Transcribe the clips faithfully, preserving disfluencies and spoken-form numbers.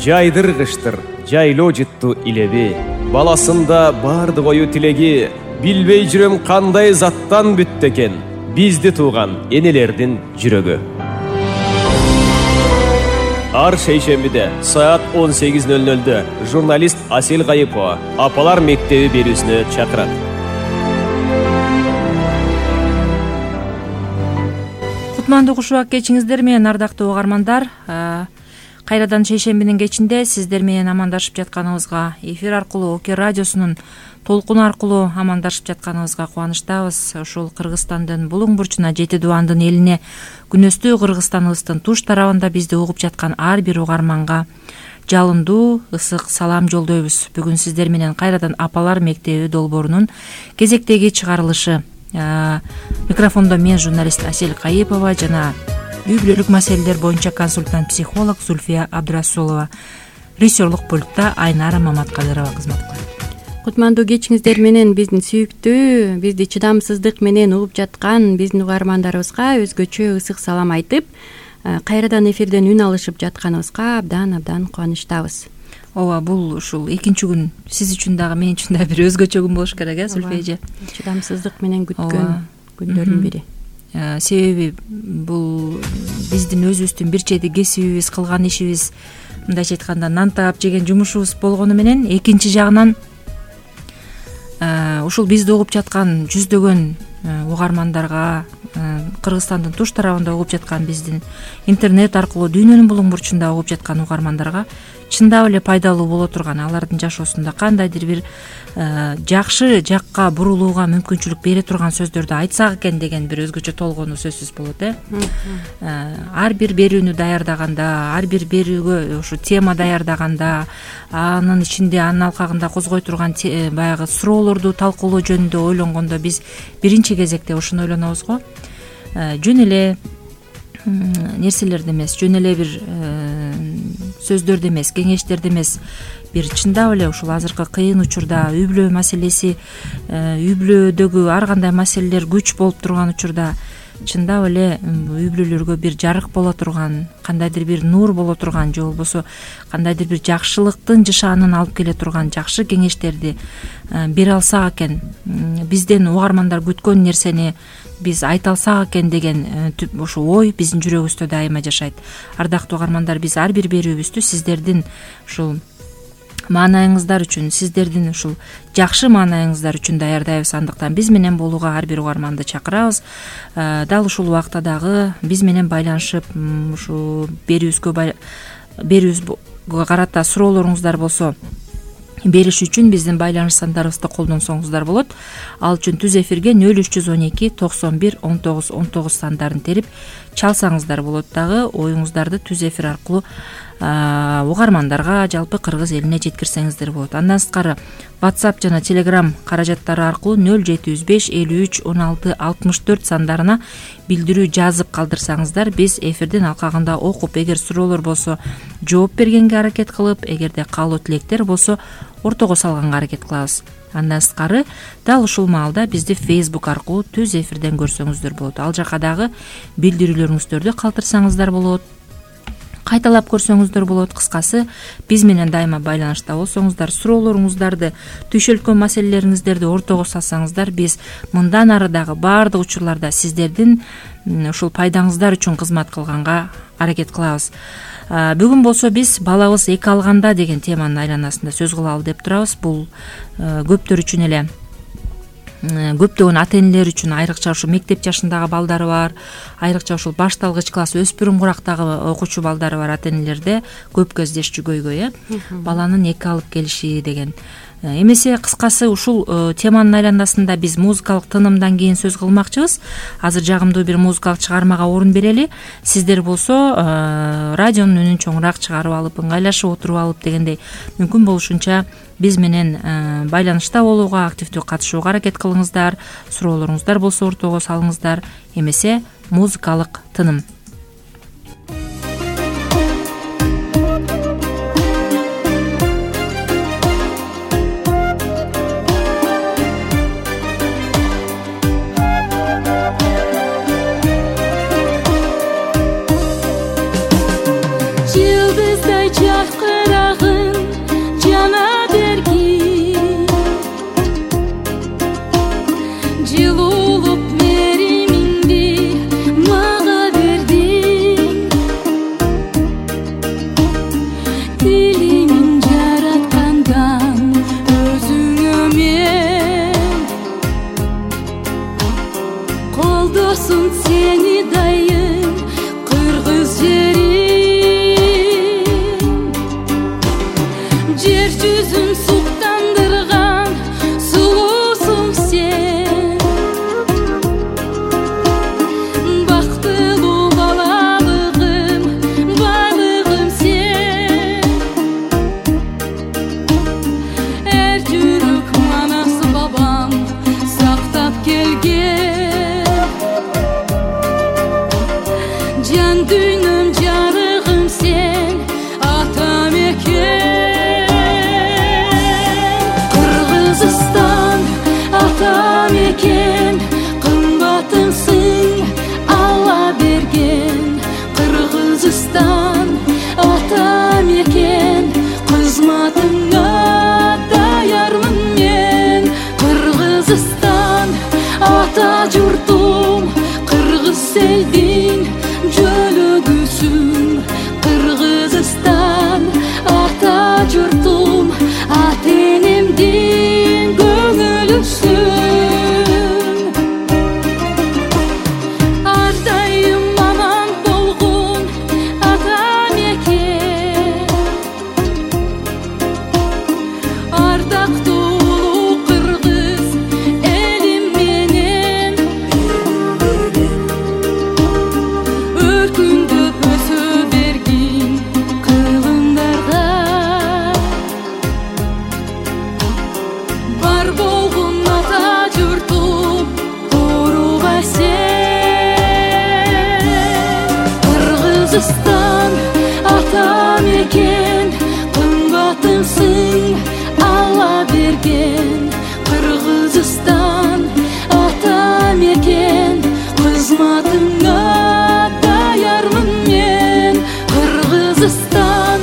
жайдыргыштыр жайлоо жытту илеби. Баласында барды бою тилеги, билбей жүрөм кандай заттан бүттү экен бизди тууган энелердин жүрөгү. Ар шейшембиде саат он сегиз ноль нольдө журналист Асель Кайыпова Апалар мектеби берүүсүнө чакырат. Кутмандуу кушубак кечиңиздер менен, ардактуу угармандар. Кайрадан шейшембинин кечинде сиздер менен амандашып жатканыбызга, эфир аркылуу Оке радиосунун толкуну аркылуу амандашып жатканыбызга кубанычтабыз. Ушул Кыргызстандын булуң бурчуна, Жети Дубандын элине, күнөстүү Кыргызстаныбыздын туш тарабында бизди угуп жаткан ар бир угарманга жалындуу ысык салам жолдойбуз. Бүгүн сиздер менен кайрадан Апалар мектеби долбоорунун кезектеги чыгарылышы. Микрофондо мен, журналист Асель Кайыпова жана үй бүлөлүк маселелер боюнча консультант-психолог Зульфия Абдрасулова. Режиссерлук пультта Айнара Маматкадырова кызмат кылат. Кутмандуу кечиңиздер менен биздин сүйүктүү, бизди чыдамсыздык менен угуп жаткан биздин угармандарыбызга өзгөчө ысык салам айтып, кайрадан эфирден үн алышып жатканыбызга абдан абдан кубанычтабыз. Ооба, бул ушул экинчи күн сиз үчүн дагы, мен үчүн дагы бир өзгөчө күн болуш керек, э, Зульфия эже? Чыдамсыздык менен күткөн күндөрдүн бири. Себеби бул биздин өзүбүздүн бир чети кесибибиз, кылган ишибиз, мындайча айтканда нан таап жеген жумушубуз болгону менен, экинчи жагынан ушул бизди угуп жаткан жүздөгөн угармандарга, Кыргызстандын туш тарабында угуп жаткан, биздин интернет аркылуу дүйнөнүн булуң бурчунда угуп жаткан угармандарга чындап эле пайдалуу боло турган, алардын жашоосунда кандайдыр бир жакшы жакка бурулууга мүмкүнчүлүк бере турган сөздөрдү айтсак экен деген бир өзгөчө толгонуу сөзсүз болот, э. Ар бир берүүнү даярдаганда, ар бир берүүгө ушу тема даярдаганда, анын ичинде, анын алкагында козгой турган баягы суроолорду талкуулоо жөнүндө ойлонгондо биз биринчи кезекте ушуну ойлонобуз го. Жөн эле нерселерди эмес, жөн эле бир сөздөрдү эмес, кеңештерди эмес, бир чындап эле ушул азыркы кыйын учурда үй бүлө маселеси, үй бүлөдөгү ар кандай маселелер күч болуп турган учурда чындап эле үй бүлөлөргө бир жарык боло турган, кандайдыр бир нур боло турган, же болбосо кандайдыр бир жакшылыктын жышаанын алып келе турган жакшы кеңештерди бере алсак экен, бизден угармандар күткөн нерсени биз айта алсак экен деген ушу ой биздин жүрөгүбүздө дайыма жашайт. Ардактуу угармандар, биз ар бир берүүбүздү сиздердин ушул маанайыңыздар үчүн, сиздердин ушул жакшы маанайыңыздар үчүн даярдайбыз. Андыктан биз менен болууга ар бир угарманды чакырабыз. Дал ушул убакта дагы биз менен байланышып, ушу берүүбүзгө берүүбүзгө карата суроолоруңуздар болсо бериш үчүн биздин байланыш сандарыбызды колдонсоңуздар болот. Ал үчүн түз эфирге нөл үч жүз он эки токсон бир он тогуз он тогуз сандарын терип чалсаңыздар болот. Дагы оюңуздарды түз эфир аркылуу угармандарга, жалпы кыргыз элине жеткирсеңиздер болот. Андан сырткары WhatsApp жана Telegram каражаттары аркылуу нөл жети жүз беш элүү үч он алты алтымыш төрт сандарына билдирүү жазып калдырсаңыздар, биз эфирдин алкагында окуп, эгер суроолор болсо жооп бергенге аракет кылып, эгерде каалоо тилектер болсо ортого салганга аракет кылабыз. Андан сырткары дал ушул маалда бизди Facebook аркылуу түз эфирден көрсөңүздөр болот. Ал жака дагы билдирүүлөрүңүздөрдү калтырсаңыздар болот, кайталап көрсөңүздөр болот. Кыскасы, биз менен дайыма байланышта болсоңуздар, суроолоруңуздарды, түйшөлткөн маселелериңиздерди ортого салсаңыздар, биз мындан ары дагы баардык учурларда сиздердин ушул пайдаңыздар үчүн кызмат кылганга аракет кылабыз. Бүгүн болсо биз балабыз эки алганда деген теманын айланасында сөз кылалы деп турабыз. Бул көптөр үчүн эле, көптөгөн ата энелер үчүн, айрыкча ушул мектеп жашындагы балдары бар, айрыкча ушул башталгыч класс, өспүрүм курактагы окуучу балдары бар ата энелерде көп кездешчү көйгөй, э, баланын эки алып келиши деген. Эмесе, кыскасы, ушул теманын айланасында биз музыкалык тынымдан кийин сөз кылмакчыбыз. Азыр жагымдуу бир музыкалык чыгармага орун берели. Сиздер болсо радионун үнүн чоңураак чыгарып алып, ыңгайлашып отуруп алып дегендей, мүмкүн болушунча биз менен байланышта болууга, активдүү катышууга аракет кылыңыздар. Суроолоруңуздар болсо ортого салыңыздар. Эмесе, музыкалык тыным. Yıldızday çakıra жүзүм суктандырган сулуусуң сен, бактылуу балалыгым, байлыгым сен. Эр жүрөк манасы бабам сактап келген, жан дүйнөм жарыгым сен, атам экен. Кыргызстан атам экен, кымбатымсың Алла берген. Кыргызстан атам экен, кызматыңа даярмын мен. Кыргызстан ата журтум, кыргыз элдин жөлөгүсүң. Кыргызстан ата журтум, ата энемдин көңүлүсүң. Ар дайым аман болгон атам экен, ардактуу кыргыз элим менен. Өркүндөп өсө бергин кылымдарга, бар болгон ата журтум корубай сен. Кыргызстан атам экен, кымбатымсың Алла берген. Кыргызстан атам экен, кызматыңа даярмын мен. Кыргызстан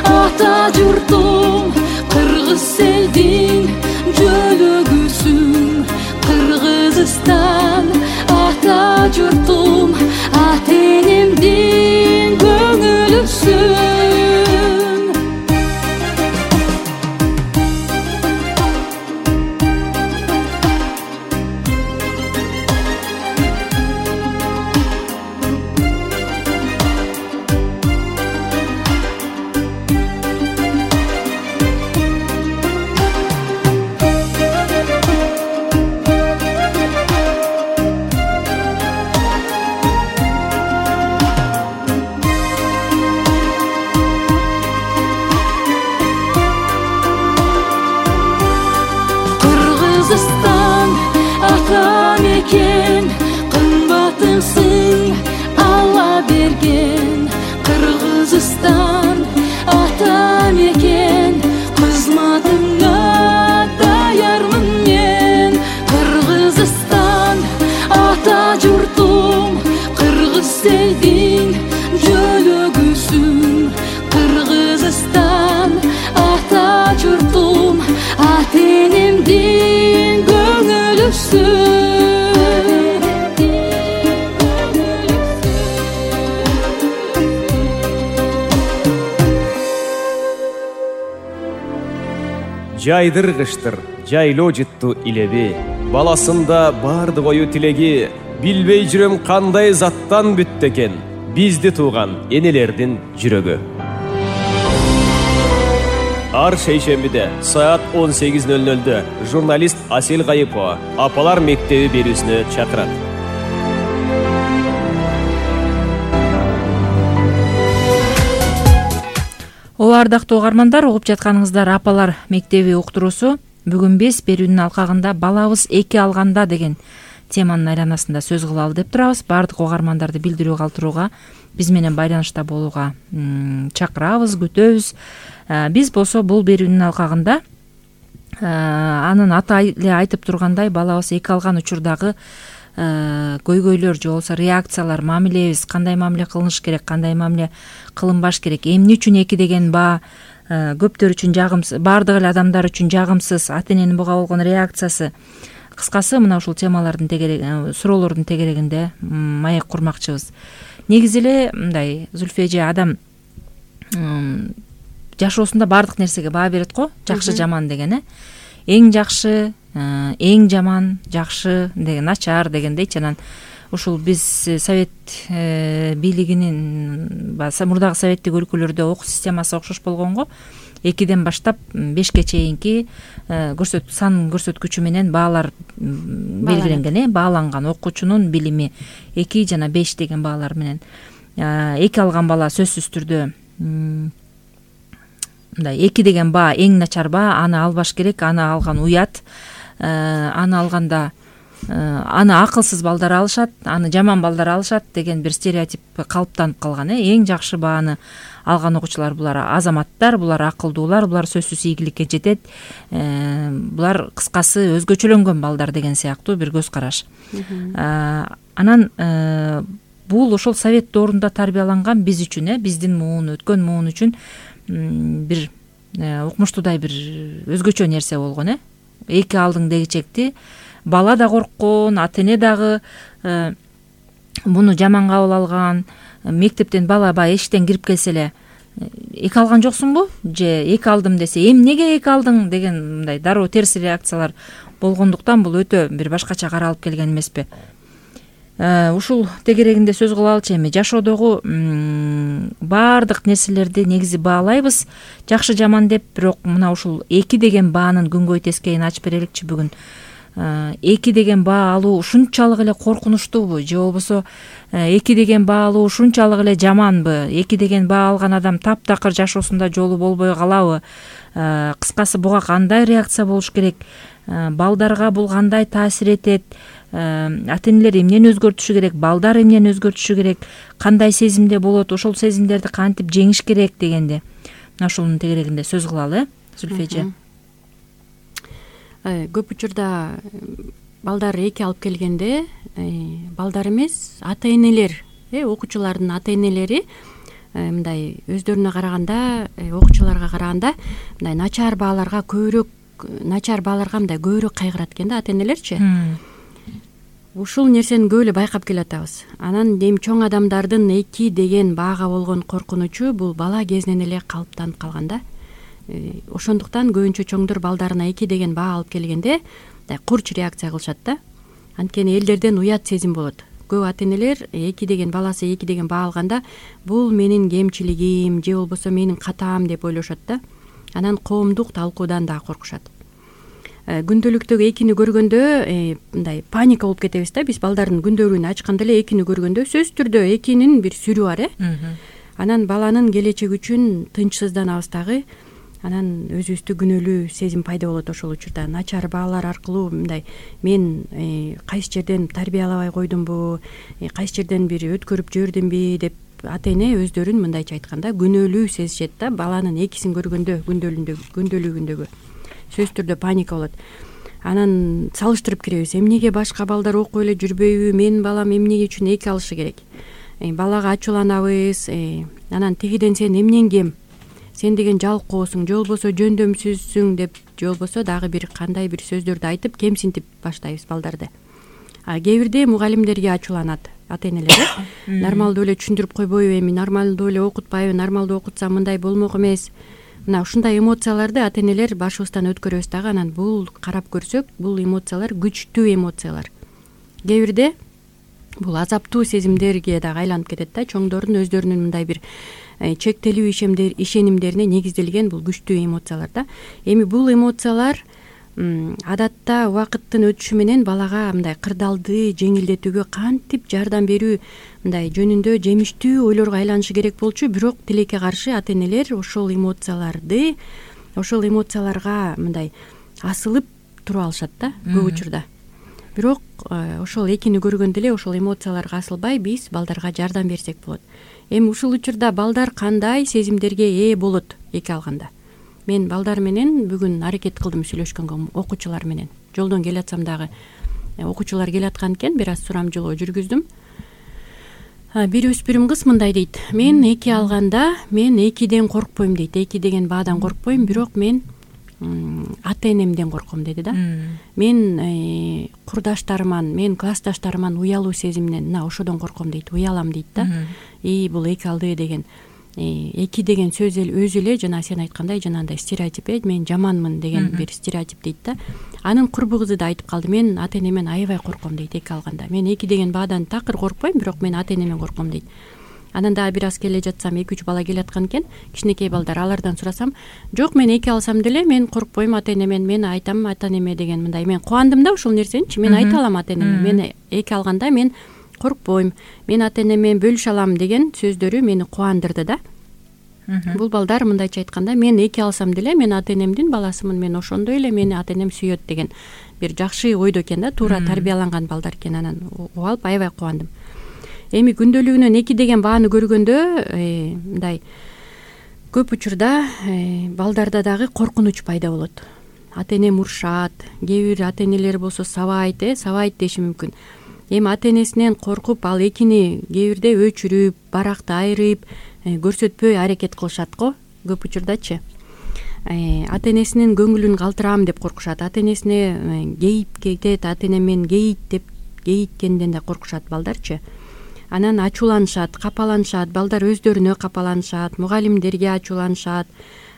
ата журтум, кыргыз элдин жөлөгүсүң. Кыргызстан ата журтум, ата энемдин көңүлүсүң. Кыргызстан атам экен, кымбатымсың Алла берген. Кыргызстан атам экен, кызматыңа даярмын мен. Кыргызстан ата журтум, кыргыз элдин жөлөгүсүң. Кыргызстан ата журтум, ата энемдин көңүлүсүң. Жайдыр кыштыр, жайлоо жытту илеби, баласында барды кою тилеги. Билбей жүрөм кандай заттан бүттү экен, бизди тууган энелердин жүрөгү. Ар шейшембиде саат он сегиз ноль нольдө журналист Асел Кайыпова апалар мектеби берүүсүнө чакырат. Ооба, ардактуу угармандар, угуп жатканыңыздар апалар мектеби уктуруусу. Бүгүн биз берүүнүн алкагында балабыз эки алганда деген теманын айланасында сөз кылалы деп турабыз. Бардык угармандарды билдирүү калтырууга, биз менен байланышта болууга чакырабыз, күтөбүз. Биз болсо бул берүүнүн алкагында анын аты эле айтып тургандай, балабыз эки алган учурдагы көйгөйлөр же болбосо реакциялар, мамилебиз кандай мамиле кылыныш керек, кандай мамиле кылынбаш керек, эмне үчүн эки деген баа көптөр үчүн жагымсыз, баардык эле адамдар үчүн жагымсыз, ата эненин буга болгон реакциясы. Кыскасы мына ушул темалардын тегерегинде, суроолордун тегерегинде маек курмакчыбыз. Негизи эле мындай, Зүлфия эже, адам жашоосунда баардык нерсеге баа берет го, жакшы жаман деген, э эң жакшы, эң жаман, жакшы деген, начар дегендейчи. Анан ушул биз совет бийлигинин баягы мурдагы советтик өлкөлөрдө окуу системасы окшош болгонго экиден баштап бешке чейинки көрсөт сан көрсөткүчү менен баалар белгиленген, э бааланган окуучунун билими эки жана беш деген баалар менен. Эки алган бала сөзсүз түрдө мындай эки деген баа эң начар баа, аны албаш керек, аны алган уят, аны алганда аны акылсыз балдар алышат, аны жаман балдар алышат деген бир стереотип калыптанып калган. э Эң жакшы бааны алган окуучулар булар азаматтар, булар акылдуулар, булар сөзсүз ийгиликке жетет, булар кыскасы өзгөчөлөнгөн балдар деген сыяктуу бир көз караш. Анан бул ошол совет доорунда тарбияланган биз үчүн, э биздин муун, өткөн муун үчүн бир укмуштуудай бир өзгөчө нерсе болгон. э Эки алдың дегичекти бала да корккон, ата эне дагы муну жаман кабыл алган. Мектептен бала баягы эшиктен кирип келсе эле эки алган жоксуңбу же эки алдым десе эмнеге эки алдың деген мындай дароо терс реакциялар болгондуктан бул өтө бир башкача каралып келген эмеспи. Ушул тегерегинде сөз кылалычы. Эми жашоодогу баардык нерселерди негизи баалайбыз жакшы жаман деп, бирок мына ушул эки деген баанын күнгөй тескейин ачып береликчи бүгүн. Эки деген баа алуу ушунчалык эле коркунучтуубу же болбосо эки деген баа алуу ушунчалык эле жаманбы? Эки деген баа алган адам таптакыр жашоосунда жолу болбой калабы? Кыскасы буга кандай реакция болуш керек? Балдарга бул кандай таасир этет? Ата энелер эмнени өзгөртүшү керек? Балдар эмнени өзгөртүшү керек? Кандай сезимде болот? Ошол сезимдерди кантип жеңиш керек дегенде мына ушунун тегерегинде сөз кылалы, э Зүлфи эже. Көп учурда балдар эки алып келгенде балдар эмес, ата энелер, окуучулардын ата энелери мындай өздөрүнө караганда, окуучуларга караганда мындай начар бааларга көбүрөөк, начар бааларга мындай көбүрөөк кайгырат экен да ата энелерчи. Ушул нерсени көп эле байкап келатабыз. Анан эми чоң адамдардын эки деген баага болгон коркунучу бул бала кезинен эле калыптанып калган да. Ошондуктан көбүнчө чоңдор балдарына эки деген баа алып келгенде курч реакция кылышат да. Анткени элдерден уят сезим болот. Көп ата энелер эки деген баласы эки деген баа алганда бул менин кемчилигим же болбосо менин катаам деп ойлошот да. Анан коомдук талкуудан да коркушат. Күндөлүктөгү экини көргөндө мындай паника болуп кетебиз да. Биз балдардын күндөлүгүн ачканда эле экини көргөндө сөзсүз түрдө экинин бир сүрү бар, э. Анан баланын келечеги үчүн тынчсызданабыз дагы. Анан өзүбүздү күнөөлүү сезим пайда болот ошол учурда. Начар баалар аркылуу мындай мен кайсы жерден тарбиялабай койдумбу, кайсы жерден бир өткөрүп жибердимби деп ата эне өздөрүн мындайча айтканда күнөөлүү сезишет да. Баланын экисин көргөндө күндөлүгүндөгү сөзсүз түрдө паника болот. Анан салыштырып киребиз. Эмнеге башка балдар окуп эле жүрбөйбү? Менин балам эмнеге үчүн эки алышы керек? Балага ачууланабыз. Анан тигиден сен эмнең кем? Сен деген жалкоосуң, же болбосо жөндөмсүзсүң деп, же болбосо дагы бир кандай бир сөздөрдү айтып кемсинтип баштайбыз балдарды. А кээ бирде мугалимдерге ачууланат ата энелер. Нормалдуу эле түшүндүрүп койбойбу, эми нормалдуу эле окутпайбы, нормалдуу окутсам мындай болмок эмес. Мына ушундай эмоцияларды ата энелер башыбыздан өткөрөбүз дагы. Анан бул карап көрсөк, бул эмоциялар күчтүү эмоциялар. Кээ бирде бул азаптуу сезимдерге дагы айланып кетет да. Чоңдордун өздөрүнүн мындай бир чектелүү ишемдер ишенимдерине негизделген бул күчтүү эмоциялар да. Эми бул эмоциялар адатта убакыттын өтүшү менен балага мындай кырдаалды жеңилдетүүгө кантип жардам берүү мындай жөнүндө жемиштүү ойлорго айланышы керек болчу. Бирок тилекке каршы ата энелер ошол эмоцияларды, ошол эмоцияларга мындай асылып туруп алышат да көп учурда. Бирок ошол экини көргөндө эле ошол эмоцияларга асылбай биз балдарга жардам берсек болот. Эми ушул учурда балдар кандай сезимдерге ээ болот эки алганда? Мен балдар менен бүгүн аракет кылдым сүйлөшкөнгө, окуучулар менен. Жолдон келатсам дагы окуучулар келаткан экен, бир аз сурамжылоо жүргүздүм. Бир өспүрүм кыз мындай дейт: мен эки алганда мен экиден коркпойм дейт. Эки деген баадан коркпойм, бирок мен ата энемден корком деди да. Мен курдаштарыман, мен классташтарыман уялуу сезиминен, мына ошодон корком дейт, уялам дейт да. И бул эки алды деген. эки деген сөз өзү эле жана сен айткандай жанагындай стереотип, э мен жаманмын деген бир стереотип дейт да. Анын курбу кызы да айтып калды, мен ата энемен аябай корком дейт эки алганда. Мен эки деген баадан такыр коркпойм, бирок мен ата энемен корком дейт. Анан дагы бир аз келе жатсам эки үч бала келаткан экен, кичинекей балдар, алардан сурасам, жок мен эки алсам деле мен коркпойм ата энемен, мен айтам ата энеме деген мындай. Мен кубандым да ушул нерсеничи, мен айта алам ата энеме, мен эки алганда мен коркпойм, мен ата энемен бөлүшө алам деген сөздөрү мени кубандырды да. Бул балдар мындайча айтканда, мен эки алсам деле мен ата энемдин баласымын, мен ошондой эле мени ата энем сүйөт деген бир жакшы ойдо экен да, туура тарбияланган балдар экен. Анан угуп алып аябай кубандым. Эми күндөлүгүнөн эки деген бааны көргөндө мындай көп учурда балдарда дагы коркунуч пайда болот. Ата энем урушат, кээ бир ата энелер болсо сабайт, э сабайт деши мүмкүн. Эми ата энесинен коркуп ал экини кээ бирде өчүрүп, баракты айырып көрсөтпөй аракет кылышат го көп учурдачы. Ата энесинин көңүлүн калтырам деп коркушат, ата энесине кейип кетет, ата энемен кейит деп кейиткенден да коркушат балдарчы. Анан ачууланышат, капаланышат, балдар өздөрүнө капаланышат, мугалимдерге ачууланышат.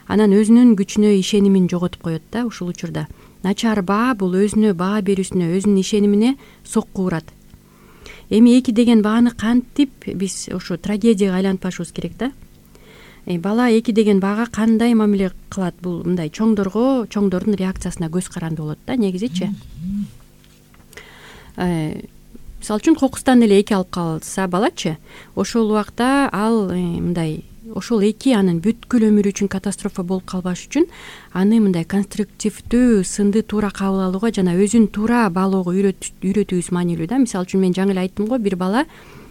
Анан өзүнүн күчүнө ишенимин жоготуп коет да ушул учурда. Начар баа бул өзүнө баа берүүсүнө, өзүнүн ишенимине сокку урат. Эми эки деген бааны кантип биз ошо трагедияга айлантпашыбыз керек да. Бала эки деген баага кандай мамиле кылат? Бул мындай чоңдорго, чоңдордун реакциясына көз каранды болот да негизичи. Мисалы үчүн кокустан эле эки алып калса балачы, ошол убакта ал мындай ошол эки анын бүткүл өмүрү үчүн катастрофа болуп калбаш үчүн аны мындай конструктивдүү сынды туура кабыл алууга жана өзүн туура баалоого үйрөтүүбүз маанилүү да. Мисалы үчүн мен жаңы эле айттым го, бир бала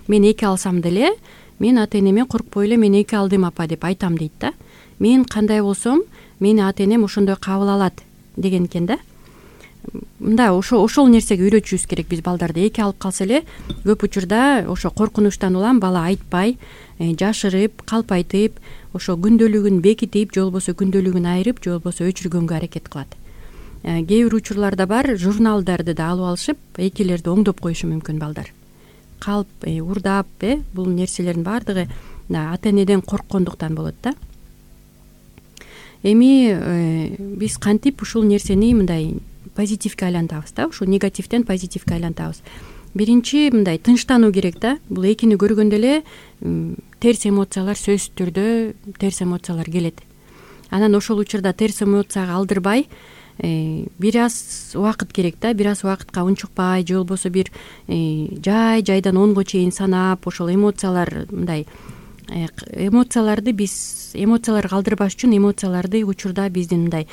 мен эки алсам деле мен ата энеме коркпой эле мен эки алдым апа деп айтам дейт да. Мен кандай болсом мени ата энем ошондой кабыл алат деген экен да. Мында ошо ошол нерсеге үйрөтүшүбүз керек биз балдарды. Эки алып калса эле көп учурда ошо коркунучтан улам бала айтпай, жашырып, калпайтып, ошо күндөлүгүн бекитип, же болбосо күндөлүгүн айырып, же болбосо өчүргөнгө аракет кылат. Кээ бир учурларда бар, журналдарды да алып алышып, экилерди оңдоп коюшу мүмкүн балдар. Калп, урдап, э бул нерселердин баардыгы ата энеден корккондуктан болот да. Эми биз кантип ушул нерсени мындай позитивге айлантабыз да, ушу негативден позитивге айлантабыз. Биринчи мындай тынчтануу керек да. Бул экини көргөндө эле терс эмоциялар, сөзсүз түрдө терс эмоциялар келет. Анан ошол учурда терс эмоцияга алдырбай, бир аз убакыт керек да, бир аз убакытка унчукпай, же болбосо бир жай жайдан онго чейин санап, ошол эмоциялар мындай эмоцияларды биз эмоцияларга алдырбаш үчүн эмоцияларды учурда биздин мындай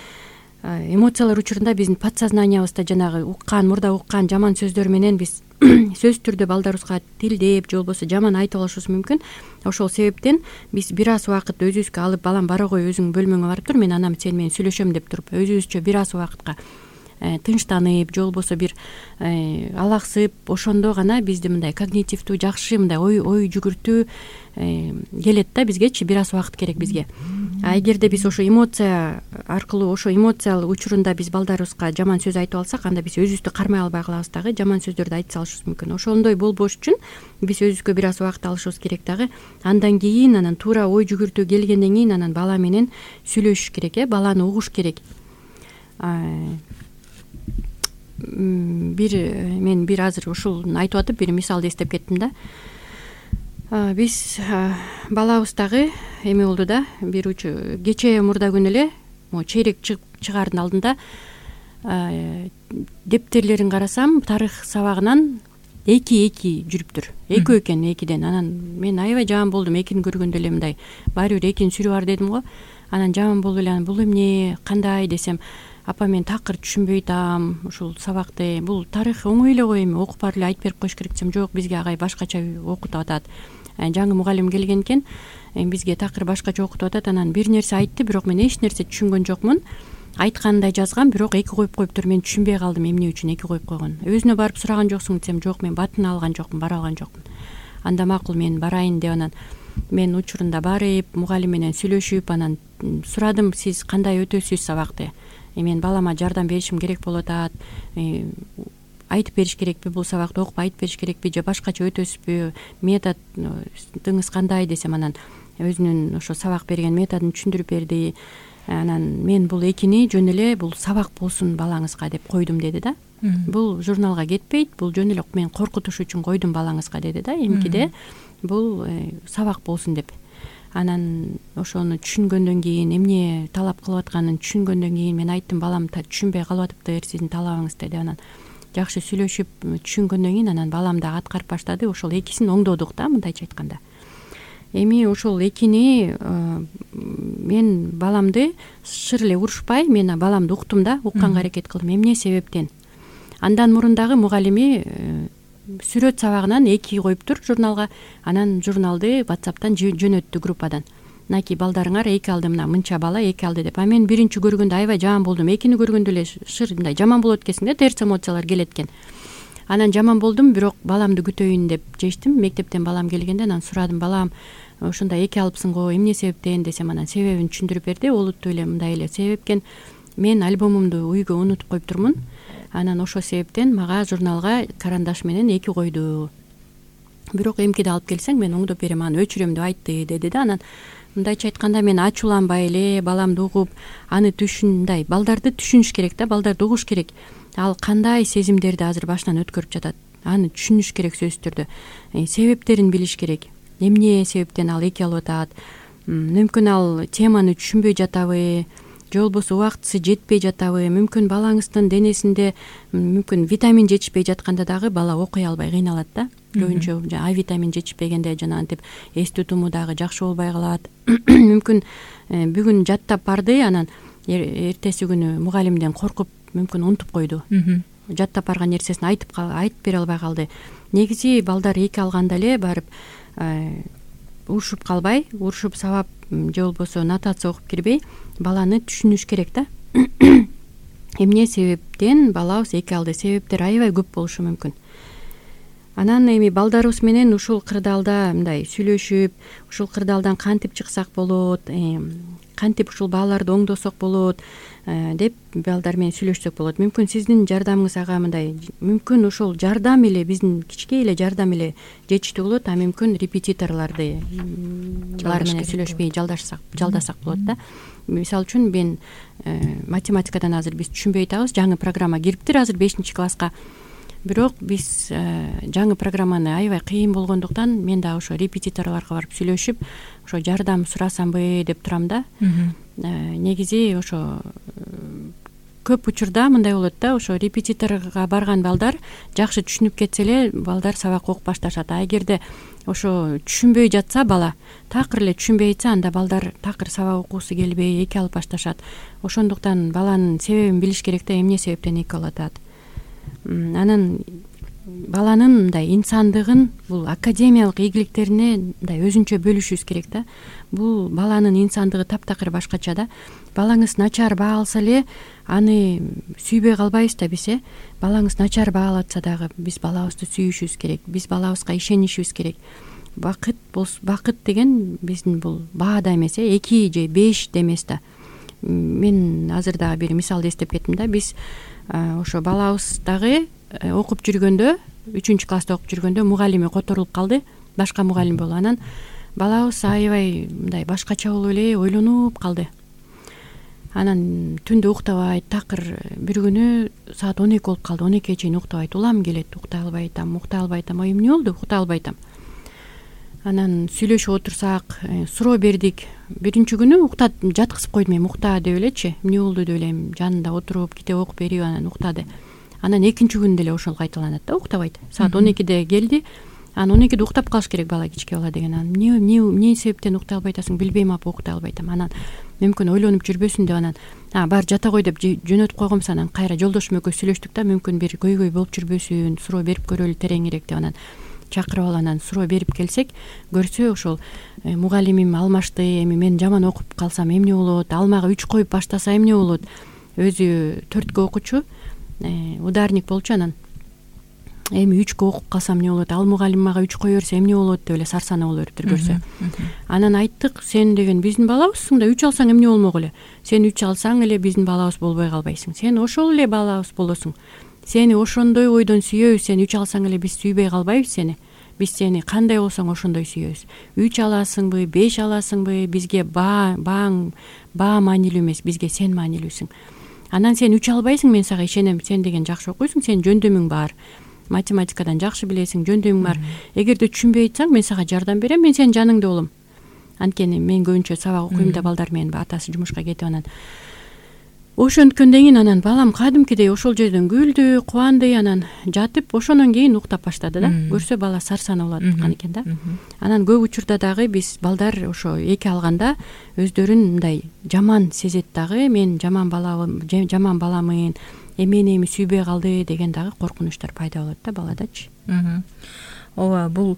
эмоциялар учурунда биздин подсознаниябызда жанагы уккан, мурда уккан жаман сөздөр менен биз сөзсүз түрдө балдарыбызга тилдеп, же болбосо жаман айтып алышыбыз мүмкүн. Ошол себептен биз бир аз убакыт өзүбүзгө алып, балам бара кой, өзүң бөлмөңө барып тур, мен анам сен менен сүйлөшөм деп туруп, өзүбүзчө бир аз убакытка тынчтанып, же болбосо бир алаксып, ошондо гана бизди мындай когнитивдүү жакшы мындай ой ой жүгүртүү келет да бизгечи. Бир аз убакыт керек бизге. А эгерде биз ошо эмоция аркылуу, ошо эмоциялык учурунда биз балдарыбызга жаман сөз айтып алсак, анда биз өзүбүздү кармай албай калабыз дагы, жаман сөздөрдү айта салышыбыз мүмкүн. Ошондой болбош үчүн биз өзүбүзгө бир аз убакыт алышыбыз керек дагы. Андан кийин анан туура ой жүгүртүү келгенден кийин анан бала менен сүйлөшүш керек, э баланы угуш керек. Бир мен бир азыр ушул айтып атып бир мисалды эстеп кеттим да. Биз балабыз дагы эме болду да, бир учу кечээ мурда күнү эле могу чейрек чыгаардын алдында дептерлерин карасам, тарых сабагынан эки эки жүрүптүр. Экөө экен экиден. Анан мен аябай жаман болдум, экини көргөндө эле мындай баары бир экинин сүрү бар дедим го. Анан жаман болуп эле бул эмне, кандай десем, апа мен такыр түшүнбөй атам ушул сабакты, бул тарых оңой эле го, эми окуп барып эле айтып берип коюш керек десем, жок, бизге агай башкача окутуп атат. Жаңы мугалим келген экен, бизге такыр башкача окутуп атат. Анан бир нерсе айтты, бирок мен эч нерсе түшүнгөн жокмун. Айткандай жазган, бирок эки коюп коюптур, мен түшүнбөй калдым эмне үчүн эки коюп койгон. Өзүнө барып сураган жоксуң десем, жок, мен батын алган жокмун, бара алган жокмун. Анда макул, мен барайын деп анан мен учурунда барып, мугалим менен сүйлөшүп, анан сурадым, сиз кандай өтөсүз сабакты? Мен балама жардам беришим керек болуп атат. Айтып бериш керекпи, бул сабакты окуп айтып бериш керекпи, же башкача өтөсүзбү, методуңуз кандай десем, анан өзүнүн ошо сабак берген методун түшүндүрүп берди. Анан мен бул экини жөн эле бул сабак болсун балаңызга деп койдум деди да. Бул журналга кетпейт, бул жөн эле мен коркутуш үчүн койдум балаңызга деди да. Эмкиде бул сабак болсун деп. Анан ошону түшүнгөндөн кийин, эмне талап кылып атканын түшүнгөндөн кийин мен айттым, балам түшүнбөй калып атыптыр сиздин талабыңыз деди. Анан жакшы сүйлөшүп түшүнгөндөн кийин анан балам дагы аткарып баштады. Ошол экисин оңдодук да, мындайча айтканда. Эми ошол экини мен баламды шыр эле урушпай, мен баламды уктум да, укканга аракет кылдым. Эмне себептен? Андан мурун дагы мугалими сүрөт сабагынан эки коюптур журналга. Анан журналды WhatsApp'тан жөнөттү группадан. Мынакей балдарыңар эки алды, мына мынча бала эки алды деп. А мен биринчи көргөндө аябай жаман болдум. Экини көргөндө эле шыр мындай жаман болот экенсиң да, терс эмоциялар келет экен. Анан жаман болдум, бирок баламды күтөйүн деп чечтим. Мектептен балам келгенде анан сурадым, балам ошондой эки алыпсың го, эмне себептен десем, анан себебин түшүндүрүп берди. Олуттуу эле мындай эле себеп экен. Мен альбомумду үйгө унутуп коюп турмун. Анан ошол себептен мага журналга карандаш менен эки койду. Бирок эмкиде алып келсең мен оңдоп берем, аны өчүрөм деп айтты деди да. Анан мындайча айтканда мен ачууланбай эле баламды угуп, аны түшүндай, балдарды түшүнүш керек да, балдарды угуш керек. Ал кандай сезимдерди азыр башынан өткөрүп жатат, аны түшүнүш керек сөзсүз түрдө. Себептерин билиш керек. Эмне себептен ал эки алып атат? Мүмкүн ал теманы түшүнбөй жатабы, же болбосо убактысы жетпей жатабы? Мүмкүн балаңыздын денесинде мүмкүн витамин жетишпей жатканда дагы бала окуй албай кыйналат да. Көбүнчө А витамин жетишпегенде жанагынтип эстүү туму дагы жакшы болбой калат. Мүмкүн бүгүн жаттап барды, анан эртеси күнү мугалимден коркуп мүмкүн унутуп койду. Жаттап барган нерсесин айтып айтып бере албай калды. Негизи балдар эки алганда эле барып урушуп калбай, урушуп сабап же болбосо нотация окуп кирбей, баланы түшүнүш керек да. Эмне себептен балабыз эки алды? Себептер аябай көп болушу мүмкүн. Анан эми балдарыбыз менен ушул кырдаалда мындай сүйлөшүп, ушул кырдаалдан кантип чыксак болот, кантип ушул бааларды оңдосок болот деп балдар менен сүйлөшсөк болот. Мүмкүн сиздин жардамыңыз ага мындай, мүмкүн ошол жардам эле биздин кичке эле жардам эле жетиштүү болот, а мүмкүн репетиторларды алар менен сүйлөшпөй жалдашсак, жалдасак болот да. Мисалы үчүн мен математикадан азыр биз түшүнбөй атабыз, жаңы программа кириптир азыр бешинчи класска. Бирок биз жаңы программаны аябай кыйын болгондуктан мен дагы ошо репетиторлорго барып сүйлөшүп, ошо жардам сурасамбы деп турам да. Негизи ошо көп учурда мындай болот да, ошо репетиторго барган балдар жакшы түшүнүп кетсе эле балдар сабак окуп башташат. А эгерде ошо түшүнбөй жатса бала, такыр эле түшүнбөй жатса, анда балдар такыр сабак окуусу келбей эки алып башташат. Ошондуктан баланын себебин билиш керек да, эмне себептен эки алып атат. Анан баланын мындай инсандыгын, бул академиялык ийгиликтерине мындай өзүнчө бөлүшүбүз керек да. Бул баланын инсандыгы таптакыр башкача да. Балаңыз начар баа алса эле аны сүйбөй калбайбыз да биз, э. Балаңыз начар баа алса дагы биз балабызды сүйүшүбүз керек, биз балабызга ишенишибиз керек. Бакыт болсо, бакыт деген биздин бул баада эмес, э, эки же беш да эмес да. Мен азыр дагы бир мисал эстеп кеттим да. Биз ошо балабыз дагы окуп жүргөндө, үчүнчү класста окуп жүргөндө мугалими которулуп калды, башка мугалим болуп. Анан балабыз аябай мындай башкача болуп эле ойлонуп калды. Анан түндө уктабайт, такыр бир күнү саат он эки болуп калды, он экиге чейин уктабайт, улам келет, уктай албай атам, уктай албай атам, ой эмне болду, уктай албай атам. Анан сүйлөшүп отурсак, суроо бердик. Биринчи күнү уктат, жаткызып койдум, эми укта деп элечи, эмне болду деп элем, жанында отуруп китеп окуп берип анан уктады. Анан экинчи күнү деле ошол кайталанат да, уктабайт. Саат он экиде келди. Анан он экиде уктап калыш керек бала, кичке бала деген. Анан эмне эмне эмне себептен уктай албай атасың? Билбейм апа, уктай албай атам. Анан мүмкүн ойлонуп жүрбөсүн деп анан а бар жата кой деп жөнөтүп койгомбуз. Анан кайра жолдошум экөө сүйлөштүк да, мүмкүн бир көйгөй болуп жүрбөсүн, суроо берип көрөлү тереңирээк деп анан чакырып алып анан суроо берип келсек, көрсө ошол мугалимим алмашты, эми мен жаман окуп калсам эмне болот, алмага үч коюп баштаса эмне болот. Өзү төрткө окучу, ударник болчу. Анан эми үчкө окуп калсам эмне болот, ал мугалим мага үч кое берсе эмне болот деп эле сарсана боло бериптир көрсө. Анан айттык, сен деген биздин балабызсың да, үч алсаң эмне болмок эле. Сен үч алсаң эле биздин балабыз болбой калбайсың. Сен ошол эле балабыз болосуң. Сени ошондой ойдон сүйөбүз, сен үч алсаң эле биз сүйбөй калбайбыз сени. биз сени кандай болсоң ошондой сүйөбүз. Үч аласыңбы, беш аласыңбы, бизге баа бааң баа маанилүү эмес, бизге сен маанилүүсүң. Анан сен үч албайсың, мен сага ишенем, сен деген жакшы окуйсуң, сен жөндөмүң бар, математикадан жакшы билесиң, жөндөмүң бар. Эгерде түшүнбөй атсаң, мен сага жардам берем, мен сенин жаныңда болом. Анткени мен көбүнчө сабак окуйм да, балдар менен атасы жумушка кетип анан ошонткөндөн кийин анан балам кадимкидей ошол жерден күлдү, кубанды, анан жатып ошондон кийин уктап баштады да. Көрсө бала сарсана болуп аткан экен да. Анан көп учурда дагы биз балдар ошо эки алганда өздөрүн мындай жаман сезет дагы, мен жаман бала жаман баламын, эмени эми сүйбөй калды деген дагы коркунучтар пайда болот да баладачы. Ооба, бул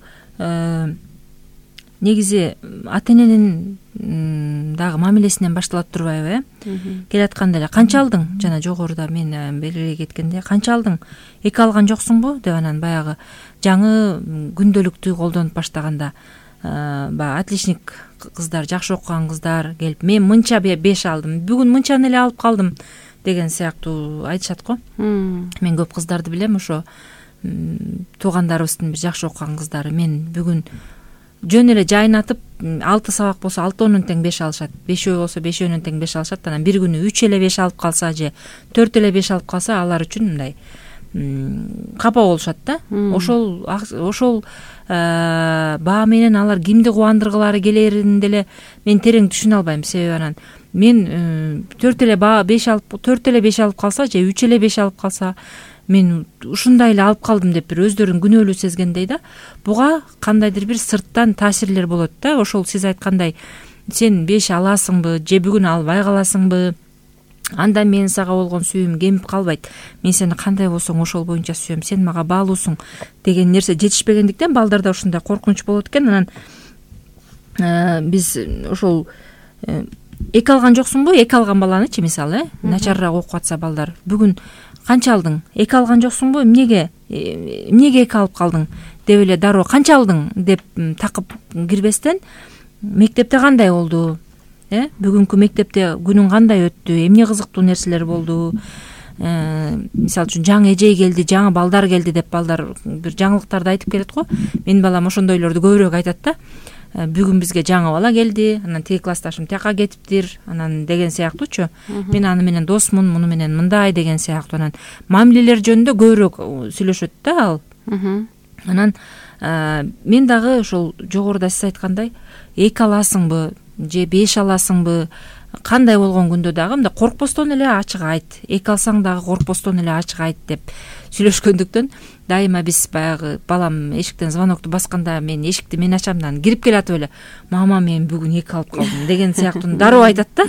негизи ата эненин дагы мамилесинен башталат турбайбы, э? Келатканда эле канча алдың? Жана жогоруда мен белгилей кеткенде канча алдың? Эки алган жоксуңбу деп анан баягы жаңы күндөлүктү колдонуп баштаганда баягы отличник кыздар, жакшы окуган кыздар келип, мен мынча беш алдым, бүгүн мынчаны эле алып калдым деген сыяктуу айтышат го. Мен көп кыздарды билем, ошо туугандарыбыздын бир жакшы окуган кыздары, мен бүгүн жөн эле жайнатып алты сабак болсо алтыөнүн тең беш алышат, бешөө болсо бешөөнүн тең беш алышат. Анан бир күнү үч эле беш алып калса же төрт эле беш алып калса, алар үчүн мындай капа болушат да. Ошол ошол баа менен алар кимди кубандыргылары келерин деле мен терең түшүнө албайм. Себеби анан мен төрт эле баа беш алып төрт эле беш алып калса же үч эле беш алып калса, мен ушундай эле алып калдым деп бир өздөрүн күнөөлүү сезгендей да. Буга кандайдыр бир сырттан таасирлер болот да. Ошол сиз айткандай, сен беш аласыңбы же бүгүн албай каласыңбы, анда мен сага болгон сүйүүм кемип калбайт. Мен сени кандай болсоң ошол боюнча сүйөм, сен мага баалуусуң деген нерсе жетишпегендиктен балдарда ушундай коркунуч болот экен. Анан биз ошол эки алган жоксуңбу, эки алган баланычы мисалы, начарыраак окуп атса балдар, бүгүн канча алдың? Эки алган жоксуңбу, эмнеге эмнеге эки алып калдың деп эле дароо канча алдың деп такып кирбестен, мектепте кандай болду, э бүгүнкү мектепте күнүң кандай өттү, эмне кызыктуу нерселер болду, мисалы үчүн жаңы эжей келди, жаңы балдар келди деп балдар бир жаңылыктарды айтып келет го. Менин балам ошондойлорду көбүрөөк айтат да. Бүгүн бизге жаңы бала келди, анан тиги классташым тияка кетиптир, анан деген сыяктуучу. Мен аны менен досмун, муну менен мындай деген сыяктуу. Анан мамилелер жөнүндө көбүрөөк сүйлөшөт да ал. Анан мен дагы ошол жогоруда сиз айткандай, эки аласыңбы же беш аласыңбы, кандай болгон күндө дагы мындай коркпостон эле ачык айт, эки алсаң дагы коркпостон эле ачык айт деп сүйлөшкөндүктөн дайыма биз баягы балам эшиктен звонокту басканда мен эшикти мен ачамдан кирип келатып эле, мама мен бүгүн эки алып калдым деген сыяктуу дароо айтат да.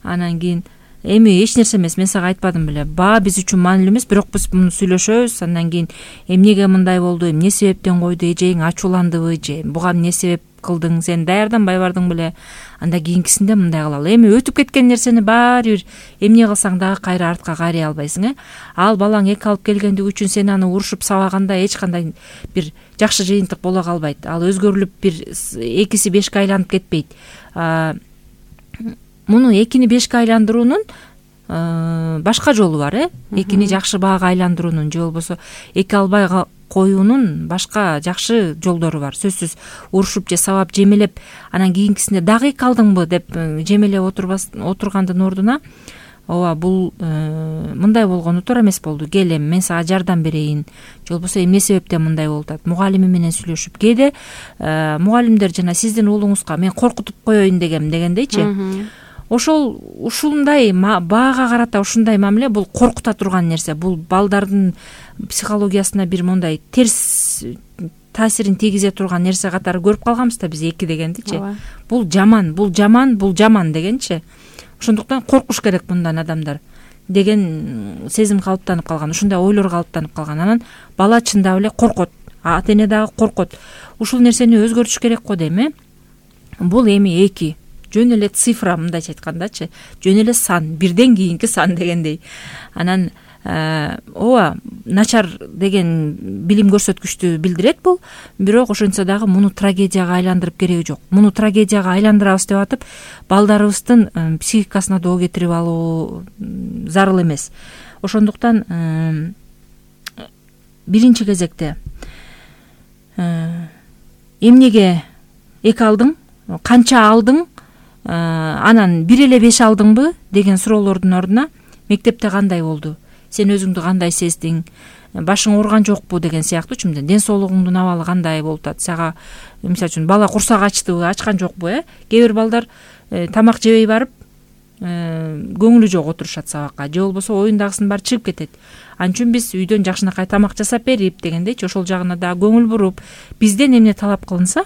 Анан кийин эми эч нерсе эмес, мен сага айтпадым беле, баа биз үчүн маанилүү эмес, бирок биз муну сүйлөшөбүз. Андан кийин эмнеге мындай болду, эмне себептен койду, эжең ачууландыбы же буга эмне себеп кылдың, сен даярданбай бардың беле, анда кийинкисинде мындай кылалы. Эми өтүп кеткен нерсени баары бир эмне кылсаң дагы кайра артка кайрый албайсың, э. Ал балаң эки алып келгендиги үчүн сен аны урушуп сабаганда эч кандай бир жакшы жыйынтык боло калбайт. Ал өзгөрүлүп бир экиси бешке айланып кетпейт. Муну экини бешке айландыруунун башка жолу бар, э. Экини жакшы баага айландыруунун же болбосо эки албай коюунун башка жакшы жолдору бар. Сөзсүз урушуп же сабап жемелеп, анан кийинкисинде дагы эки алдыңбы деп жемелеп отургандын ордуна, ооба бул мындай болгону туура эмес болду, кел эми мен сага жардам берейин, же болбосо эмне себептен мындай болуп атат, мугалими менен сүйлөшүп. Кээде мугалимдер жана сиздин уулуңузга мен коркутуп коеюн дегем дегендейчи. Ошол ушундай баага карата ушундай мамиле бул коркута турган нерсе. Бул балдардын психологиясына бир мондай терс таасирин тийгизе турган нерсе катары көрүп калганбыз да биз эки дегендичи. Бул жаман, бул жаман, бул жаман дегенчи. Ошондуктан коркуш керек мындан адамдар деген сезим калыптанып калган, ушундай ойлор калыптанып калган. Анан бала чындап эле коркот, ата эне дагы коркот. Ушул нерсени өзгөртүш керек го дейм, э. Бул эми эки жөн эле цифра, мындайча айткандачы, жөн эле сан, бирден кийинки сан дегендей. Анан ооба начар деген билим көрсөткүчтү билдирет бул, бирок ошентсе дагы муну трагедияга айландырып кереги жок. Муну трагедияга айландырабыз деп атып, балдарыбыздын психикасына доо кетирип алуу зарыл эмес. Ошондуктан биринчи кезекте эмнеге эки алдың, канча алдың, анан бир эле беш алдыңбы деген суроолордун ордуна мектепте кандай болду, сен өзүңдү кандай сездиң, башың ооруган жокпу деген сыяктуучу, мындай ден соолугуңдун абалы кандай болуп атат, сага мисалы үчүн бала курсак ачтыбы, ачкан жокпу, э кээ бир балдар тамак жебей барып көңүлү жок отурушат сабакка, же болбосо оюндагысын баары чыгып кетет. Ал үчүн биз үйдөн жакшынакай тамак жасап берип дегендейчи, ошол жагына дагы көңүл буруп, бизден эмне талап кылынса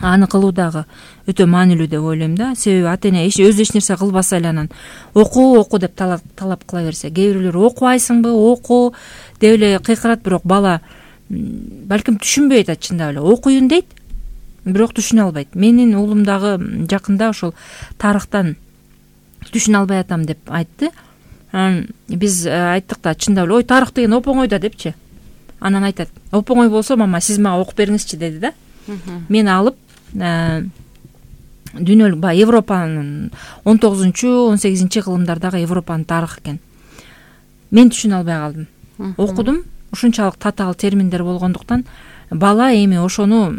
аны кылуу дагы өтө маанилүү деп ойлойм да. Себеби ата эне өзү эч нерсе кылбаса эле анан оку оку деп талап кыла берсе, кээ бирлер окубайсыңбы, оку деп эле кыйкырат, бирок бала балким түшүнбөй атат, чындап эле окуйюн дейт, бирок түшүнө албайт. Менин уулум дагы жакында ошол тарыхтан түшүнө албай атам деп айтты. Биз айттык да, чындап эле ой тарых деген оп-оңой да депчи. Анан айтат, оп-оңой болсо мама сиз мага окуп бериңизчи деди да. Мен алып дүйнөлүк баягы Европанын он тогузунчу он сегизинчи кылымдардагы Европанын тарыхы экен. Мен түшүнө албай калдым. Окудум, ушунчалык татаал терминдер болгондуктан бала эми ошону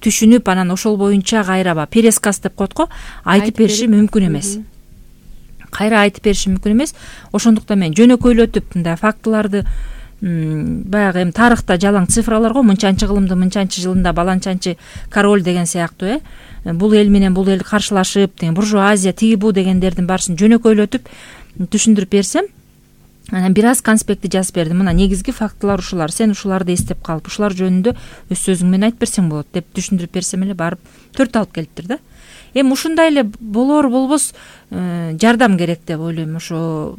түшүнүп, анан ошол боюнча кайра ба пересказ деп коет го, айтып бериши мүмкүн эмес. Кайра айтып бериши мүмкүн эмес. Ошондуктан мен жөнөкөйлөтүп мындай фактыларды, баягы эми тарыхта жалаң цифралар го, мынчанчы кылымды мынчанчы жылында баланчанчы король деген сыяктуу, э бул эл менен бул эл каршылашып, деген буржуазия тиги бу дегендердин баарысын жөнөкөйлөтүп түшүндүрүп берсем, анан бир аз конспектти жазып бердим. Мына негизги фактылар ушулар, сен ушуларды эстеп калып, ушулар жөнүндө өз сөзүң менен айтып берсең болот деп түшүндүрүп берсем эле барып төрт алып келиптир да. Эми ушундай эле болор болбос жардам керек деп ойлойм. Ошо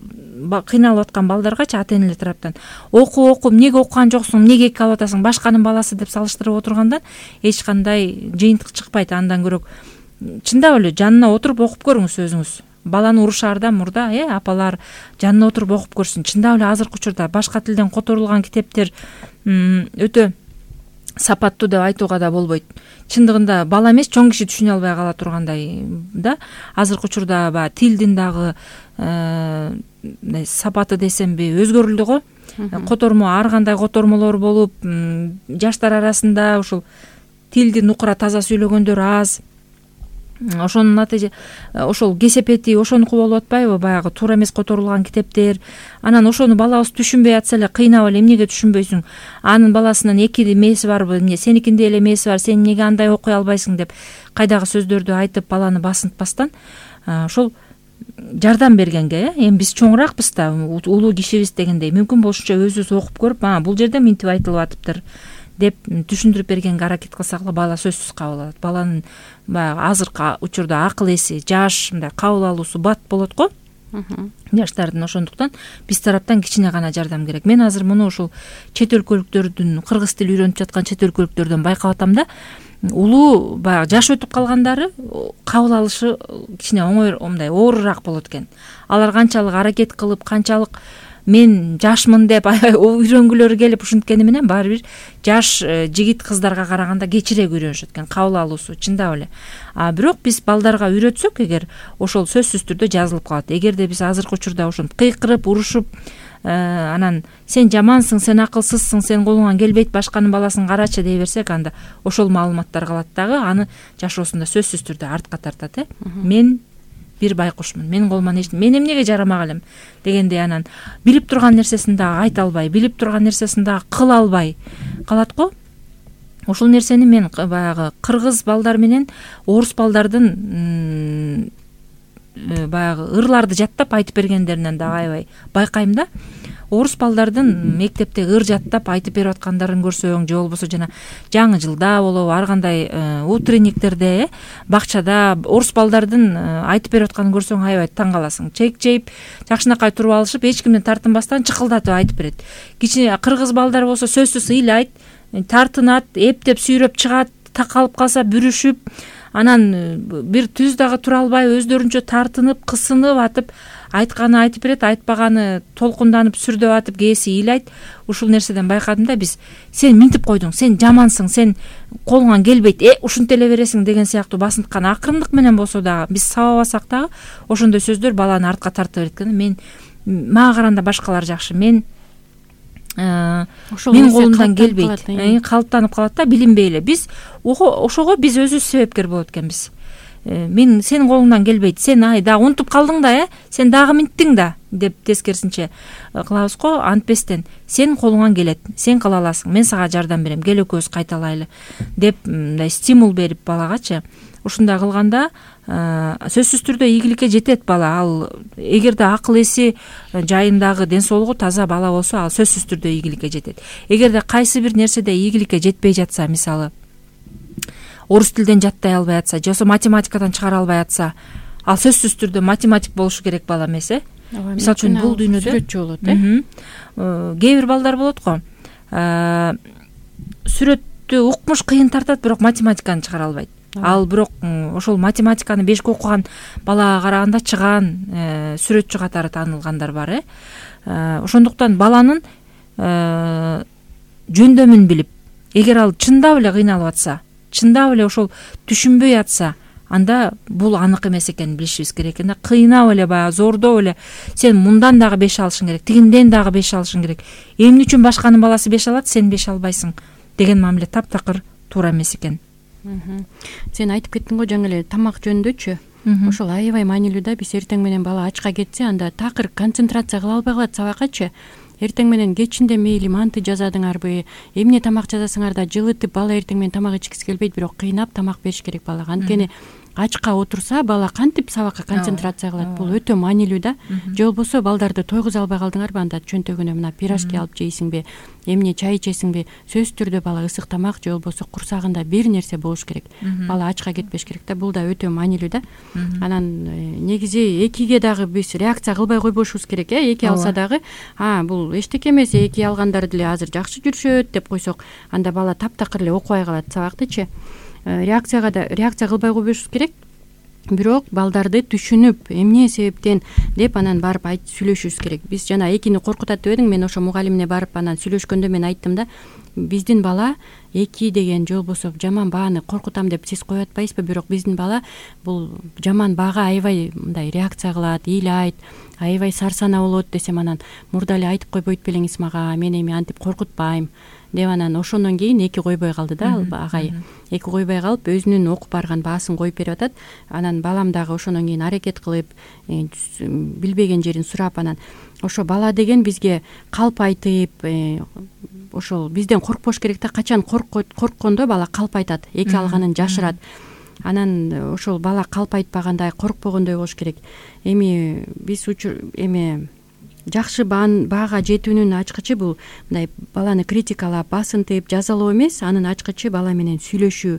кыйналып аткан балдаргачы ата энелер тараптан оку оку эмнеге окуган жоксуң, эмнеге эки алып атасың, башканын баласы деп салыштырып отургандан эч кандай жыйынтык чыкпайт. Андан көрөк чындап эле жанына отуруп окуп көрүңүз өзүңүз. Баланы урушаардан мурда э апалар жанына отуруп окуп көрсүн. Чындап эле азыркы учурда башка тилден которулган китептер өтө сапаттуу деп айтууга да болбойт. Чындыгында бала эмес, чоң киши түшүнө албай кала тургандай да. Азыркы учурда баягы тилдин дагы сапаты десемби өзгөрүлдү го. Котормо ар кандай котормолор болуп, жаштар арасында ушул тилди нукура таза сүйлөгөндөр аз. Ошонун натыйжа ошол кесепети ошонуку болуп атпайбы, баягы туура эмес которулган китептер. Анан ошону балабыз түшүнбөй атса эле кыйнап эле эмнеге түшүнбөйсүң? Анын баласынын эки эмеси барбы, эмне сеникинде эле эмеси бар, сен эмнеге андай окуй албайсың деп кайдагы сөздөрдү айтып баланы басынтпастан ошол жардам бергенге, эми биз чоңураакпыз да, улуу кишибиз дегендей мүмкүн болушунча өзүбүз окуп көрүп, а бул жерде мынтип айтылып атыптыр деп түшүндүрүп бергенге аракет кылсак эле бала сөзсүз кабыл алат. Баланын баягы азыркы учурда акыл эси, жаш, мындай кабыл алуусу бат болот го жаштардын. Ошондуктан биз тараптан кичине гана жардам керек. Мен азыр муну ушул чет өлкөлүктөрдүн, кыргыз тили үйрөнүп жаткан чет өлкөлүктөрдөн байкап атам да, улуу баягы жаш өтүп калгандары кабыл алышы кичине оңой, мындай оорураак болот экен. Алар канчалык аракет кылып, канчалык мен жашмын деп үйрөнгүлөрү келип ушинткени менен баары бир жаш жигит кыздарга караганда кечирээк үйрөнүшөт экен, кабыл алуусу чындап эле. А бирок биз балдарга үйрөтсөк, эгер ошол сөзсүз түрдө жазылып калат. Эгерде биз азыркы учурда ошентип кыйкырып, урушуп, анан сен жамансың, сен акылсызсың, сен колуңан келбейт, башканын баласын карачы дей берсек, анда ошол маалыматтар калат дагы, аны жашоосунда сөзсүз түрдө артка тартат. Э мен бир байкушмун, менин колуман эч мен эмнеге жарамак элем дегендей, анан билип турган нерсесин дагы айта албай, билип турган нерсесин дагы кыла албай калат го. Ошол нерсени мен баягы кыргыз балдар менен орус балдардын баягы ырларды жаттап айтып бергендеринен дагы аябай байкайм да. Орус балдардын мектепте ыр жаттап айтып берип аткандарын көрсөң, же болбосо жана жаңы жылда болобу, ар кандай утренниктерде, бакчада орус балдардын айтып берип атканын көрсөң аябай таң каласың. Чек жейип, жакшынакай туруп алышып, эч кимден тартынбастан чыкылдатып айтып берет. Кичине кыргыз балдар болсо сөзсүз ыйлайт, тартынат, эптеп сүйрөп чыгат, такалып калса бүрүшүп, анан бир түз дагы тура албай өздөрүнчө тартынып, кысынып атып айтканы айтып берет, айтпаганы толкунданып сүрдөп атып кээси ыйлайт. Ушул нерседен байкадым да, биз сен минтип койдуң, сен жамансың, сен колуңан келбейт, э ушинте эле бересиң деген сыяктуу басынткан акырындык менен болсо дагы биз сабабасак дагы ошондой сөздөр баланы артка тартып берет экен. Мен мага караганда башкалар жакшы, мен менин колумдан келбейт, калыптанып калат да, билинбей эле. Биз ошого биз өзүбүз себепкер болот экенбиз. Мен сенин колуңдан келбейт, сен ай дагы унутуп калдың да, э сен дагы минттиң да деп тескерисинче кылабыз го. Антпестен сенин колуңан келет, сен кыла аласың, мен сага жардам берем, кел экөөбүз кайталайлы деп мындай стимул берип балагачы, ушундай кылганда сөзсүз түрдө ийгиликке жетет бала. Ал эгерде акыл эси жайындагы, ден соолугу таза бала болсо, ал сөзсүз түрдө ийгиликке жетет. Эгерде кайсы бир нерседе ийгиликке жетпей жатса, мисалы орус тилден жаттай албай атса, же болбосо математикадан чыгара албай атса, ал сөзсүз түрдө математик болушу керек бала эмес, э мисалы үчүн бул дүйнөдө сүрөтчү болот, э кээ бир балдар болот го, сүрөттү укмуш кыйын тартат, бирок математиканы чыгара албайт. Ал бирок ошол математиканы бешке окуган балага караганда чыгаан сүрөтчү катары таанылгандар бар, э ошондуктан баланын жөндөмүн билип, эгер ал чындап эле кыйналып атса, чындап эле ошол түшүнбөй атса, анда бул анык эмес экенин билишибиз керек экен да. Кыйнап эле, баягы зордоп эле сен мындан дагы беш алышың керек, тигинден дагы беш алышың керек, эмне үчүн башканын баласы беш алат, сен беш албайсың деген мамиле таптакыр туура эмес экен. Сен айтып кеттиң го жаңы эле тамак жөнүндөчү. Ошол аябай маанилүү да. Биз эртең менен бала ачка кетсе, анда такыр концентрация кыла албай калат сабаккачы. Эртең менен кечинде мейли манты жазадыңарбы, эмне тамак жазасыңар да жылытып, бала эртең менен тамак ичкиси келбейт, бирок кыйнап тамак бериш керек балага. Анткени ачка отурса, бала кантип сабакка концентрация кылат? Бул өтө маанилүү да. Же болбосо балдарды тойгуза албай калдыңарбы, анда чөнтөгүнө мына пирожки алып жейсиңби, эмне чай ичесиңби? Сөзсүз түрдө бала ысык тамак же болбосо курсагында бир нерсе болуш керек. Бала ачка кетпеш керек да. Бул да өтө маанилүү да. Анан негизи экиге дагы биз реакция кылбай койбошубуз керек, э эки алса дагы, а бул эчтеке эмес, эки алгандар деле азыр жакшы жүрүшөт деп койсок, анда бала таптакыр эле окубай калат сабактычы. Реакцияга да реакция кылбай койбошубуз керек. Бирок балдарды түшүнүп, эмне себептен деп анан барып айт сүйлөшүбүз керек. Биз жана экини коркутат деп эдиң, мен ошо мугалимине барып анан сүйлөшкөндө мен айттым да, биздин бала эки деген же болбосо жаман бааны коркутам деп сиз коюп атпайсызбы, бирок биздин бала бул жаман баага аябай мындай реакция кылат, ыйлайт, аябай сарсана болот десем, анан мурда эле айтып койбойт белеңиз мага, мен эми антип коркутпайм деп анан ошондон кийин эки койбой калды да, агай. Эки койбой калып, өзүнүн окуп барган баасын коюп берип атат. Анан балам дагы ошондон кийин аракет кылып, билбеген жерин сурап, анан ошо бала деген бизге калп айтып, ошол бизден коркпош керек да. Качан корккондо бала калп айтат, эки алганын жашырат. Анан ошол бала калп айтпагандай, коркпогондой болуш керек. Эми биз эми жакшы баага жетүүнүн ачкычы бул мындай баланы критикалап, басынтып, жазалоо эмес, анын ачкычы бала менен сүйлөшүү,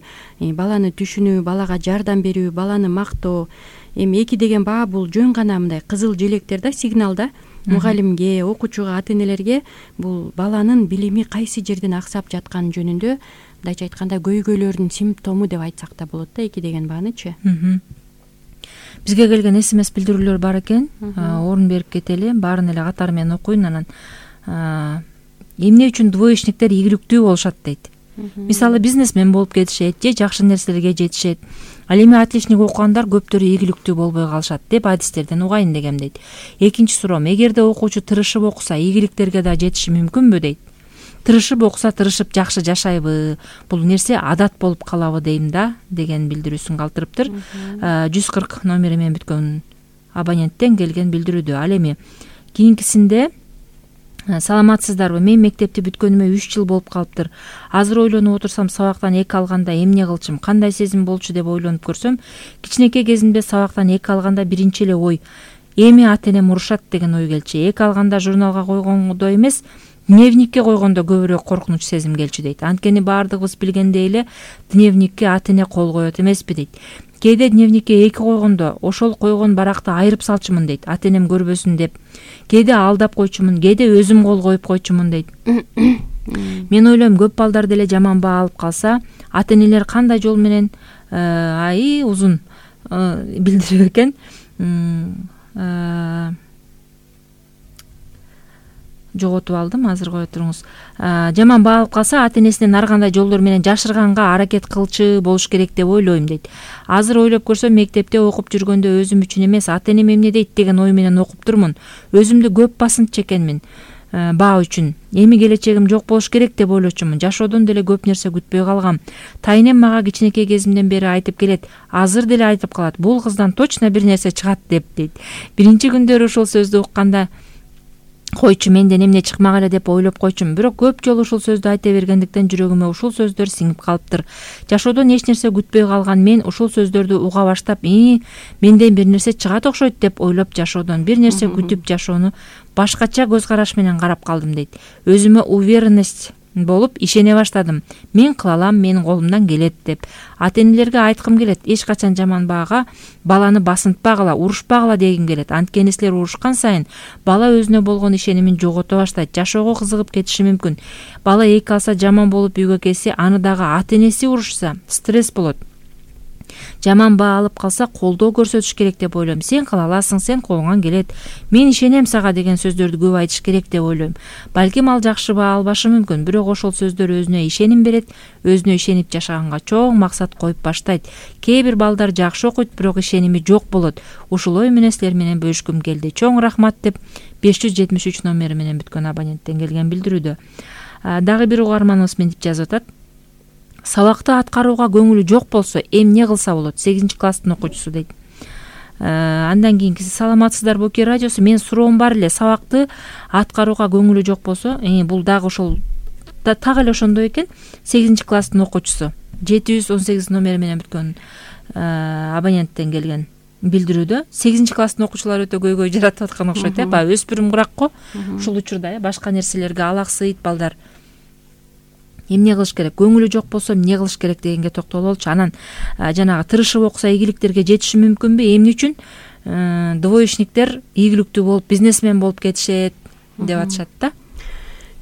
баланы түшүнүү, балага жардам берүү, баланы мактоо. Эми эки деген баа бул жөн гана мындай кызыл желектер да, сигнал да. Мугалимге, окуучуга, ата-энелерге бул баланын билими кайсы жерден аксап жатканы жөнүндө, мындайча айтканда, көйгөйлөрдүн симптому деп айтсак да болот да, эки деген баанычы. Бизге келген эс эм эс билдирүүлөр бар экен, орун берип кетели, баарын эле катары менен окуйн. Анан эмне үчүн двоечниктер ийгиликтүү болушат дейт. Мисалы бизнесмен болуп кетишет же жакшы нерселерге жетишет. Ал эми отличник окугандар көптөрү ийгиликтүү болбой калышат деп адистерден угайын дегем дейт. Экинчи суроом, эгерде окуучу тырышып окуса, ийгиликтерге да жетиши мүмкүнбү дейт. Тырышып окуса, тырышып жакшы жашайбы? Бул нерсе адат болуп калабы дейм да, деген билдирүүсүн калтырыптыр. жүз кырк номери менен бүткөн абоненттен келген билдирүүдө. Ал эми кийинкисинде: саламатсыздарбы, мен мектепти бүткөнүмө үч жыл болуп калыптыр. Азыр ойлонуп отурсам, сабактан эки алганда эмне кылчумун, кандай сезим болчу деп ойлонуп көрсөм, кичинекей кезимде сабактан эки алганда биринчи эле ой эми ата-энем урушат деген ой келчү. Эки алганда журналга койгондо эмес, дневникке койгондо көбүрөөк коркунуч сезим келчү дейт. Анткени баардыгыбыз билгендей эле дневникке ата-эне кол коет эмеспи дейт. Кээде дневникке эки койгондо ошол койгон баракты айырып салчумун дейт, ата-энем көрбөсүн деп. Кээде алдап койчумун, кээде өзүм кол коюп койчумун дейт. Мен ойлойм, көп балдар деле жаман баа алып калса, ата-энелер кандай жол менен ай узун билдирүү экен. Жоготуп алдым, азыр кое туруңуз. Жаман баа алып калса, ата-энесинен ар кандай жолдор менен жашырганга аракет кылчу болуш керек деп ойлойм дейт. Азыр ойлоп көрсөм, мектепте окуп жүргөндө өзүм үчүн эмес, ата-энем эмне дейт деген ой менен окуп турмун. Өзүмдү көп басынтчу экенмин. баа үчүн. Эми келечегим жок болуш керек деп ойлочумун. Жашоодон деле көп нерсе күтпөй калгам. Тайнем мага кичинекей кезимден бери айтып келет. Азыр деле айтып калат. Бул кыздан точно бир нерсе чыгат деп дейт. Биринчи күндөрү ушул сөздү укканда койчу менден эмне чыкмак эле деп ойлоп койчумун. Бирок көп жолу ушул сөздү айта бергендиктен жүрөгүмө ушул сөздөр сиңип калыптыр. Жашоодон эч нерсе күтпөй калган мен ушул сөздөрдү уга баштап, «И, менден бир нерсе чыгат окшойт» деп ойлоп жашоодон бир нерсе күтүп жашоону башкача көз караш менен карап калдым дейт. Өзүмө уверенность болуп ишене баштадым. Мен кыла алам, менин колумдан келет деп. Ата-энелерге айткым келет, эч качан жаман баага баланы басынтпагыла, урушпагыла дегим келет. Анткени силер урушкан сайын бала өзүнө болгон ишенимин жогото баштайт, жашоого кызыгып кетиши мүмкүн. Бала эки алса жаман болуп үйгө келсе, аны дагы ата-энеси урушса, стресс болот. Жаман баа алып калса, колдоо көрсөтүш керек деп ойлойм. Сен кыла аласың, сен колуңан келет. Мен ишенем сага деген сөздөрдү көп айтыш керек деп ойлойм. Балким ал жакшы баа албашы мүмкүн, бирок ошол сөздөр өзүнө ишеним берет, өзүнө ишенип жашаганга чоң максат коюп баштайт. Кээ бир балдар жакшы окуйт, бирок ишеними жок болот. Ушул ой менен силер менен бөлүшкүм келди. Чоң рахмат деп беш жүз жетимиш үч номери менен бүткөн абоненттен келген билдирүүдө. Дагы бир угарманыбыз мынтип жазып атат. Сабакты аткарууга көңүлү жок болсо, эмне кылса болот? сегизинчи класстын окуучусу дейт. Андан кийинкиси: саламатсыздар Боки радиосу, мен суроом бар эле. Сабакты аткарууга көңүлү жок болсо, бул дагы ошол так эле ошондой экен. сегизинчи класстын окуучусу. жети жүз он сегиз номери менен бүткөн абоненттен келген билдирүүдө. сегизинчи класстын окуучулары өтө көйгөй жаратып аткан окшойт, э? Баягы өспүрүм курак го. Ушул учурда, э, башка нерселерге алаксыйт балдар. Эмне кылыш керек? Көңүлү жок болсо эмне кылыш керек дегенге токтолуп алчу. Анан жанагы тырышып окуса ийгиликтерге жетиши мүмкүнбү? Эмне үчүн двоечниктер ийгиликтүү болуп, бизнесмен болуп кетишет деп атышат да.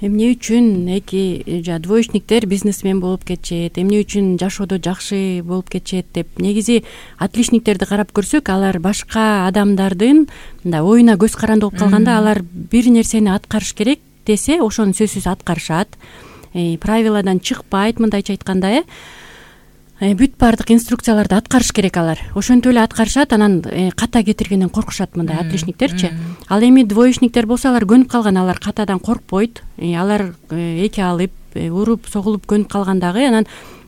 Эмне үчүн эки двоечниктер бизнесмен болуп кетишет, эмне үчүн жашоодо жакшы болуп кетишет деп. Негизи отличниктерди карап көрсөк, алар башка адамдардын мындай оюна көз каранды болуп калганда, алар бир нерсени аткарыш керек десе, ошону сөзсүз аткарышат. Правиладан чыкпайт, мындайча айтканда, э бүт баардык инструкцияларды аткарыш керек алар. Ошентип эле аткарышат, анан ката кетиргенден коркушат мындай отличниктерчи. Ал эми двоечниктер болсо, алар көнүп калган, алар катадан коркпойт. Алар эки алып, уруп, согулуп көнүп калгандагы, анан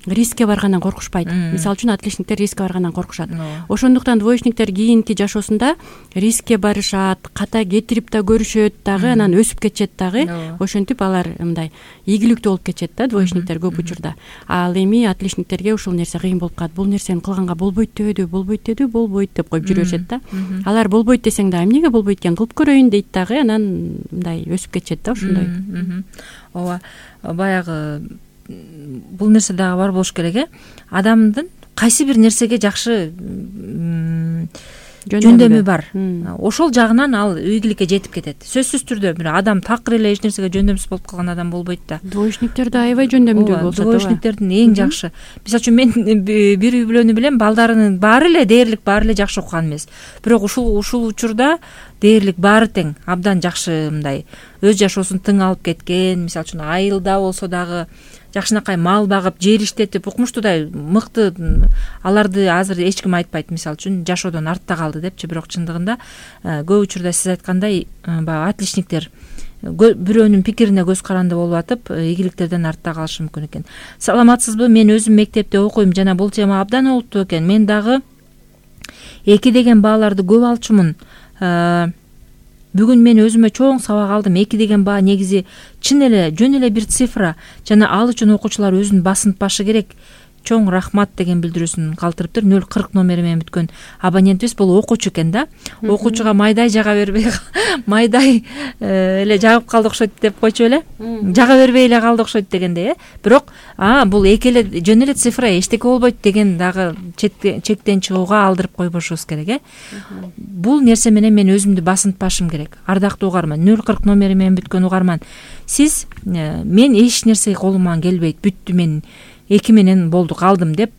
рискке баргандан коркушпайт. Мисалы үчүн отличниктер рискке баргандан коркушат. Ошондуктан двоечниктер кийинки жашоосунда рискке барышат, ката кетирип да көрүшөт дагы, анан өсүп кетишет дагы. Ошентип алар мындай ийгиликтүү болуп кетишет да двоечниктер көп учурда. Ал эми отличниктерге ушул нерсе кыйын болуп калат. Бул нерсени кылганга болбойт дебедиби, болбойт дедиби, болбойт деп коюп жүрөшөт да. Алар болбойт десең да, эмнеге болбойт экен, кылып көрөйүн дейт дагы, анан мындай өсүп кетишет да ошондой. Ооба, баягы бул нерсе дагы бар болуш керек, э? Адамдын кайсы бир нерсеге жакшы жөндөмү бар. Ошол жагынан ал ийгиликке жетип кетет. Сөзсүз түрдө бир адам такыр эле эч нерсеге жөндөмсүз болуп калган адам болбойт да. Двоечниктер да аябай жөндөмдүү болсо, двоечниктердин эң жакшы. Мисалы үчүн мен бир үй бүлөнү билем, балдарынын баары эле дээрлик баары эле жакшы окуган эмес. Бирок ушул ушул учурда дээрлик баары тең, абдан жакшы мындай өз жашоосун тың алып кеткен. Мисалы үчүн айылда болсо дагы жакшынакай мал багып, жер иштетип, укмуштуудай мыкты. Аларды азыр эч ким айтпайт, мисалы үчүн жашоодон артта калды депчи. Бирок чындыгында көп учурда сиз айткандай баягы отличниктер бирөөнүн пикирине көз каранды болуп атып, ийгиликтерден артта калышы мүмкүн экен. Саламатсызбы? Мен өзүм мектепте окуйм жана бул тема абдан олуттуу экен. Мен дагы эки деген бааларды көп алчумун. Бүгүн мен өзүмө чоң сабак алдым. Эки деген баа негизи чын эле жөн эле бир цифра, жана ал үчүн окуучулар өзүн басынтпашы керек. Чоң рахмат деген билдирүүсүн калтырыптыр. нөл кырк номери менен бүткөн абонентибиз бул окуучу экен да. Окуучуга майдай жага бербей, майдай эле жагып калды окшойт деп койчу эле. Жага бербей эле калды окшойт дегендей, э. Бирок, а бул эки эле жөн эле цифра, эчтеке болбойт деген дагы чектен чыгууга алдырып койбошубуз керек, э. Бул нерсе менен мен өзүмдү басынтпашым керек. Ардактуу угарман, нөл кырк номери менен бүткөн угарман. Сиз мен эч нерсе колуман келбейт, бүттү, мен эки менен болду, калдым деп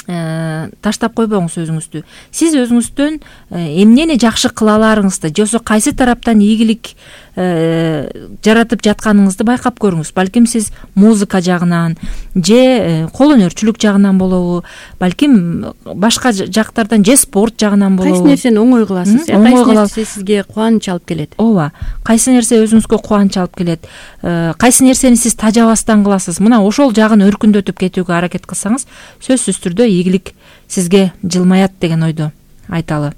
таштап койбоңуз өзүңүздү. Сиз өзүңүздөн эмнени жакшы кыла аларыңызды, жосо кайсы тараптан ийгилик жаратып жатканыңызды байкап көрүңүз. Балким сиз музыка жагынан же кол өнөрчүлүк жагынан болобу, балким башка жактардан же спорт жагынан болобу. Кайсы нерсени оңой кыласыз, кайсы нерсе сизге кубаныч алып келет? Ооба, кайсы нерсе өзүңүзгө кубаныч алып келет, кайсы нерсени сиз тажабастан кыласыз. Мына ошол жагын өркүндөтүп кетүүгө аракет кылсаңыз, сөзсүз түрдө ийгилик сизге жылмаят деген ойду айталы.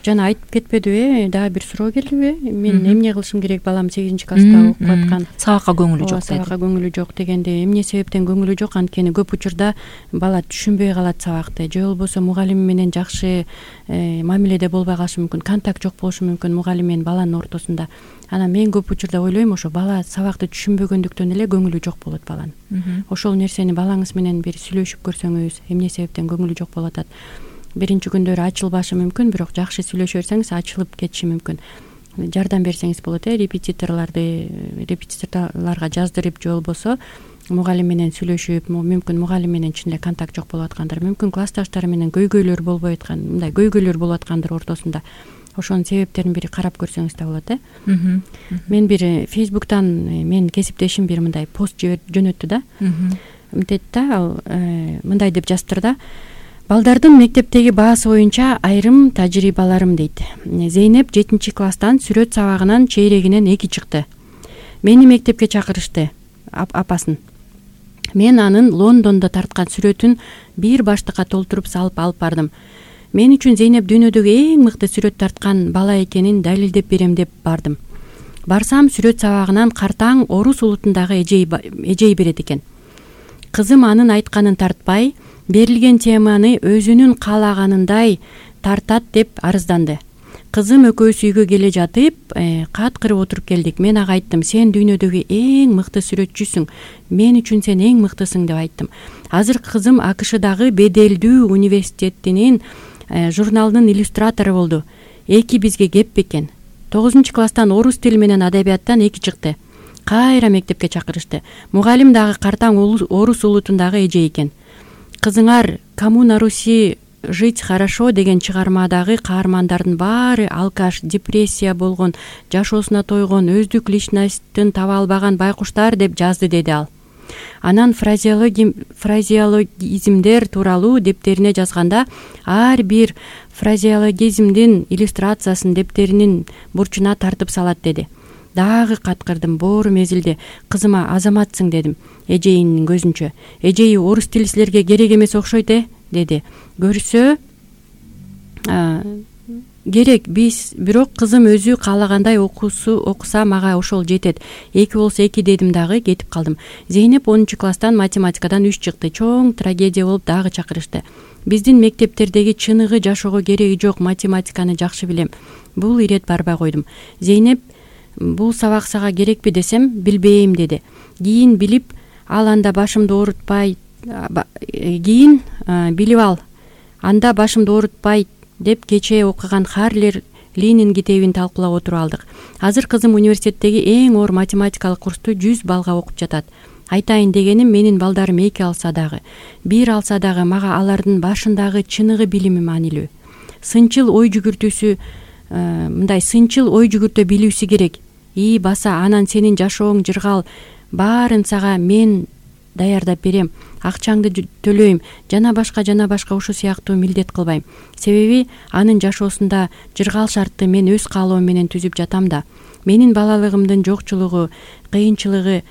Жана айтып кетпедиби, дагы бир суроо келдиби? Мен эмне кылышым керек, балам сегизинчи класста окуп аткан. Сабакка көңүлү жок деди. Сабакка көңүлү жок дегенде эмне себептен көңүлү жок? Анткени көп учурда бала түшүнбөй калат сабакты, же болбосо мугалими менен жакшы мамиледе болбой калышы мүмкүн, контакт жок болушу мүмкүн мугалим менен баланын ортосунда. Анан мен көп учурда ойлойм, ошо бала сабакты түшүнбөгөндүктөн эле көңүлү жок болот баланын. Ошол нерсени балаңыз менен бир сүйлөшүп көрсөңүз, эмне себептен көңүлү жок болуп атат. Биринчи күндөрү ачылбашы мүмкүн, бирок жакшы сүйлөшө берсеңиз ачылып кетиши мүмкүн. Жардам берсеңиз болот, э, репетиторлорду репетиторлорго жаздырып, же болбосо мугалим менен сүйлөшүп, мүмкүн мугалим менен чын эле контакт жок болуп аткандыр, мүмкүн классташтары менен көйгөйлөр болбой аткан, мындай көйгөйлөр болуп аткандыр ортосунда. Ошонун себептерин бир карап көрсөңүз да болот, э. Мен бир Фейсбуктан менин кесиптешим бир мындай пост жөнөттү да. Мынтет да, ал мындай деп жазыптыр да: балдардын мектептеги баасы боюнча айрым тажрыйбаларым дейт. Зейнеп жетинчи класстан сүрөт сабагынан чейрегинен эки чыкты. Мени мектепке чакырышты, апасын. Мен анын Лондондо тарткан сүрөтүн бир баштыкка толтуруп салып алып бардым. Мен үчүн Зейнеп дүйнөдөгү эң мыкты сүрөт тарткан бала экенин далилдеп берем деп бардым. Барсам сүрөт сабагынан картаң орус улутундагы эжей берет экен. Кызым анын айтканын тартпай, берилген теманы өзүнүн каалаганындай тартат деп арызданды. Кызым экөөбүз үйгө келе жатып, кат кырып отуруп келдик. Мен ага айттым: сен дүйнөдөгү эң мыкты сүрөтчүсүң, мен үчүн сен эң мыктысың деп айттым. Азыр кызым АКШдагы беделдүү университетинин журналынын иллюстратору болду. Эки бизге кеп бекен. тогузунчу класстан орус тили менен адабияттан эки чыкты. Кайра мектепке чакырышты. Мугалим дагы картаң орус улутундагы эже экен. Кызыңар «Кому на Руси жить хорошо» деген чыгармадагы каармандардын баары алкаш, депрессия болгон, жашоосуна тойгон, өздүк личностун таба албаган байкуштар деп жазды, деди ал. Анан фразеологизмдер тууралуу дептерине жазганда ар бир фразеологизмдин иллюстрациясын дептеринин бурчуна тартып салат, деди. Дагы каткырдым, боору мезилде. Кызыма: азаматсың, дедим, эжейинин көзүнчө. Эжеи: орус тили силерге керек эмес окшойт, э, деди. Көрсө керек, биз бирок кызым өзү каалагандай окусу окуса мага ошол жетет. Эки болсо эки, дедим дагы кетип калдым. Зейнеп онунчу класстан математикадан үч чыкты. Чоң трагедия болуп дагы чакырышты. Биздин мектептердеги чыныгы жашоого кереги жок математиканы жакшы билем. Бул ирет барбай койдум. Зейнеп: бул сабак сага керекпи десем, билбейм, деди. Кийин билип ал анда башымды оорутпай, кийин билип ал анда башымды оорутпайт деп кечээ окуган Харлер Ленин китебин талкуулап отуруп алдык. Азыр кызым университеттеги эң оор математикалык курсту жүз балга окуп жатат. Айтайын дегеним, менин балдарым эки алса дагы, бир алса дагы мага алардын башындагы чыныгы билими маанилүү. Сынчыл ой жүгүртүүсү мындай сынчыл ой жүгүртө билүүсү керек. И баса, анан сенин жашооң жыргал, баарын сага мен даярдап берем, акчаңды төлөйм, жана башка жана башка ушул сыяктуу милдет кылбайм. Себеби анын жашоосунда жыргал шартты мен өз каалоом менен түзүп жатам да. Менин балалыгымдын жокчулугу, кыйынчылыгы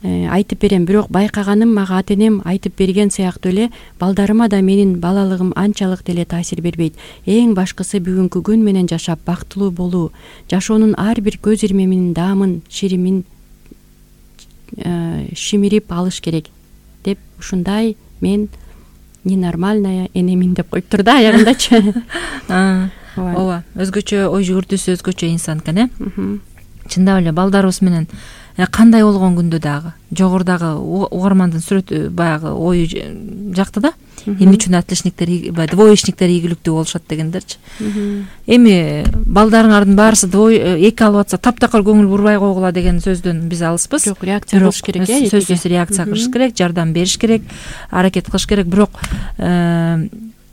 айтып берем, бирок байкаганым мага ата-энем айтып берген сыяктуу эле балдарыма да менин балалыгым анчалык деле таасир бербейт. Эң башкысы бүгүнкү күн менен жашап бактылуу болуу, жашоонун ар бир көз ирмемин, даамын, ширимин шимирип алыш керек деп, ушундай мен ненормальная энемин деп коюптур да аягындачы. Ооба, өзгөчө ой жүгүртүүсү, өзгөчө инсан экен, э. Чындап эле балдарыбыз менен кандай болгон күндө дагы жогорудагы угармандын сүрөтү баягы ою жакты да. Эмне үчүн отличниктер, двоечниктер ийгиликтүү болушат дегендерчи. Эми балдарыңардын баарысы эки алып атса таптакыр көңүл бурбай койгула деген сөздөн биз алыспыз. Жок, реакция кылыш керек, э. Сөзсүз реакция кылыш керек, жардам бериш керек, аракет кылыш керек. Бирок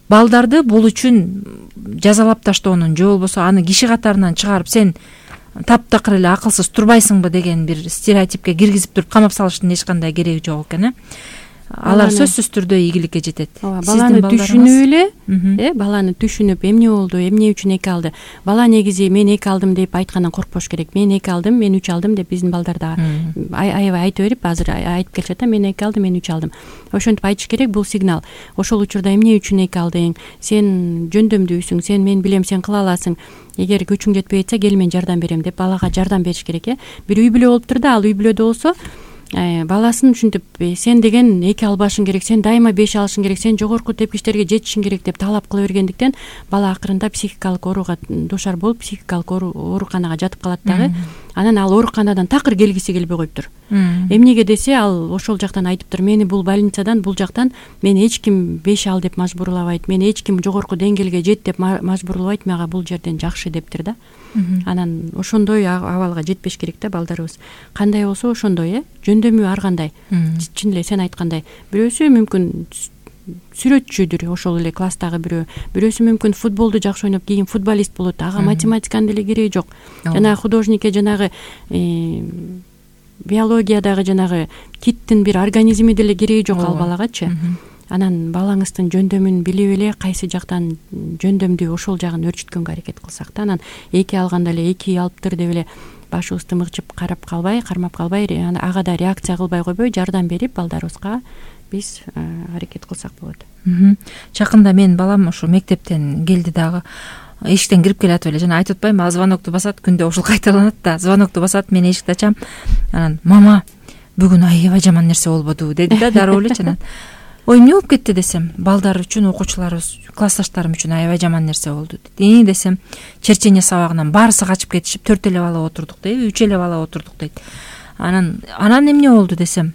балдарды бул үчүн жазалап таштоонун же болбосо аны киши катарынан чыгарып сен таптакыр эле акылсыз турбайсыңбы деген бир стереотипке киргизип туруп камап салыштын эч кандай кереги жок экен. э Алар сөзсүз түрдө ийгиликке жетет. Ооба, баланы түшүнүп эле, э баланы түшүнүп эмне болду, эмне үчүн эки алды. Бала негизи мен эки алдым деп айткандан коркпош керек. Мен эки алдым, мен үч алдым деп биздин балдар да аябай айтып берип, азыр айтып келишет да, мен эки алдым, мен үч алдым. Ошентип айтыш керек, бул сигнал. Ошол учурда эмне үчүн эки алдың? Сен жөндөмдүүсүң, сен мен билем, сен кыла аласың. Эгер күчүң жетпей атса, кел мен жардам берем деп балага жардам бериш керек, э. Бир үй бүлө болуптур да, ал үй бүлөдө болсо баласын ушинтип сен деген эки албашың керек, сен дайыма беш алышың керек, сен жогорку тепкичтерге жетишиң керек деп талап кыла бергендиктен бала акырында психикалык ооруга душар болуп, психикалык ооруканага жатып калат дагы. Анан ал ооруканадан такыр келгиси келбей коюптур. Эмнеге десе, ал ошол жактан айтыптыр, мени бул больницадан, бул жактан мени эч ким беш ал деп мажбурлабайт, мени эч ким жогорку деңгээлге жет деп мажбурлабайт, мага бул жерден жакшы дептир да. Анан ошондой абалга жетпеш керек да балдарыбыз. Кандай болсо ошондой, э жөндөмү ар кандай. Чын эле сен айткандай, бирөөсү мүмкүн сүрөтчүдүр, ошол эле класстагы бирөө, бирөөсү мүмкүн футболду жакшы ойноп кийин футболист болот, ага математиканын деле кереги жок. Жана художникке жанагы биологиядагы жанагы киттин бир организми деле кереги жок ал балагачы. Анан балаңыздын жөндөмүн билип эле кайсы жактан жөндөмдүү ошол жагын өөрчүткөнгө аракет кылсак да, анан эки алганда эле эки алыптыр деп эле башыбызды мыкчып карап калбай, кармап калбай, ага да реакция кылбай койбой, жардам берип балдарыбызга биз аракет кылсак болот. Жакында менин балам ушу мектептен келди дагы, эшиктен кирип келатып эле жана айтып атпайбы, звонокту басат, күндө ушул кайталанат да, звонокту басат, мен эшикти ачам, анан мама бүгүн аябай жаман нерсе болбоду деди да, дароо эле анан ой эмне болуп кетти десем, балдар үчүн, окуучуларыбыз, классташтарым үчүн аябай жаман нерсе болду деди. Десем, черчение сабагынан баарысы качып кетишип, төрт эле бала отурдук дейби, үч эле бала отурдук дейт. Анан анан эмне болду десем,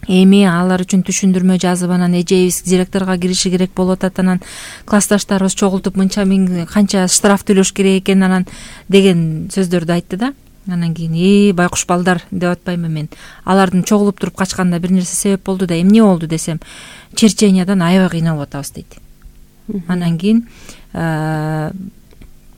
эми алар үчүн түшүндүрмө жазып, анан эжебиз директорго кириши керек болуп атат, анан классташтарыбыз чогултуп мынча миң канча штраф төлөш керек экен, анан деген сөздөрдү айтты да. Анан кийин э байкуш балдар деп атпаймынбы мен. Алардын чогулуп туруп качканда бир нерсе себеп болду да, эмне болду десем, черчениядан аябай кыйналып атабыз дейт. Анан кийин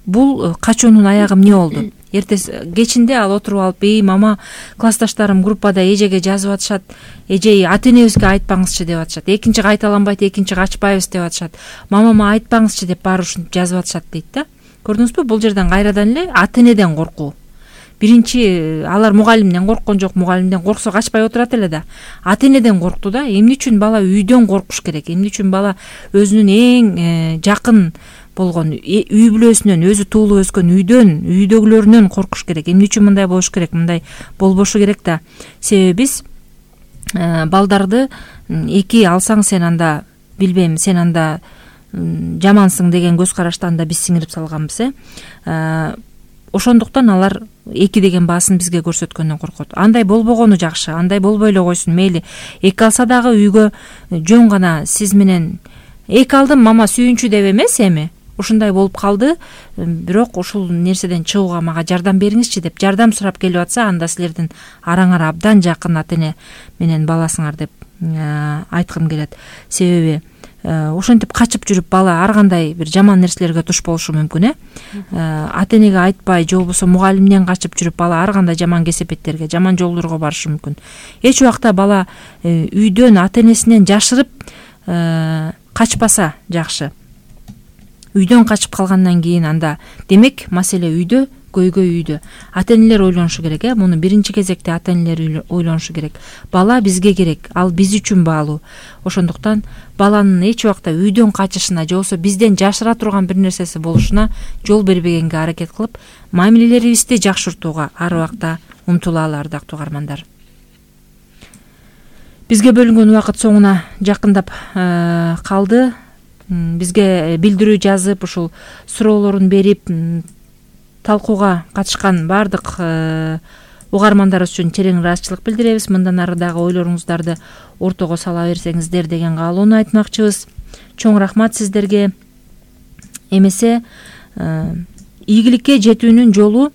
бул качуунун аягы эмне болду? Эртеси кечинде ал отуруп алып, "Эй мама, классташтарым группада эжеге жазып атышат, эже ата энебизге айтпаңызчы" деп атышат. Экинчи кайталанбайт, экинчи качпайбыз деп атышат. "Мамама айтпаңызчы" деп баары ушинтип жазып атышат дейт да. Көрдүңүзбү? Бул жерден кайрадан эле ата энеден коркуу. Биринчи алар мугалимден корккон жок, мугалимден корксо качпай отурат эле да. Ата энеден коркту да. Эмне үчүн бала үйдөн коркуш керек? Эмне үчүн бала өзүнүн эң жакын болгон үй бүлөсүнөн, өзү туулуп өскөн үйдөн, үйдөгүлөрүнөн коркуш керек? Эмне үчүн мындай болуш керек? Мындай болбошу керек да. Себеби биз балдарды эки алсаң сен анда билбейм, сен анда жамансың деген көз караштан да биз сиңирип салганбыз, э. Ошондуктан алар эки деген баасын бизге көрсөткөндөн коркот. Андай болбогону жакшы, андай болбой эле койсун, мейли. Эки алса дагы үйгө жөн гана сиз менен эки алдым мама сүйүнчү деп эмес, эми ушундай болуп калды, бирок ушул нерседен чыгууга мага жардам бериңизчи деп жардам сурап келип атса, анда силердин араңар абдан жакын ата эне менен баласыңар деп айткым келет. Себеби ошентип качып жүрүп бала ар кандай бир жаман нерселерге туш болушу мүмкүн, э. Ата энеге айтпай, же болбосо мугалимден качып жүрүп бала ар кандай жаман кесепеттерге, жаман жолдорго барышы мүмкүн. Эч убакта бала үйдөн ата энесинен жашырып качпаса жакшы. Үйдөн качып калгандан кийин анда демек маселе үйдө, көйгөй үйдө. Ата энелер ойлонушу керек, э. Муну биринчи кезекте ата энелер ойлонушу керек. Бала бизге керек, ал биз үчүн баалуу. Ошондуктан баланын эч убакта үйдөн качышына, же болбосо бизден жашыра турган бир нерсеси болушуна жол бербегенге аракет кылып, мамилелерибизди жакшыртууга ар убакта умтулалы, ардактуу угармандар. Бизге бөлүнгөн убакыт соңуна жакындап калды. Бизге билдирүү жазып, ушул суроолорун берип, талкууга катышкан баардык угармандарыбыз үчүн терең ыраазычылык билдиребиз. Мындан ары дагы ойлоруңуздарды ортого сала берсеңиздер деген каалоону айтмакчыбыз. Чоң рахмат сиздерге. Эмесе ийгиликке жетүүнүн жолу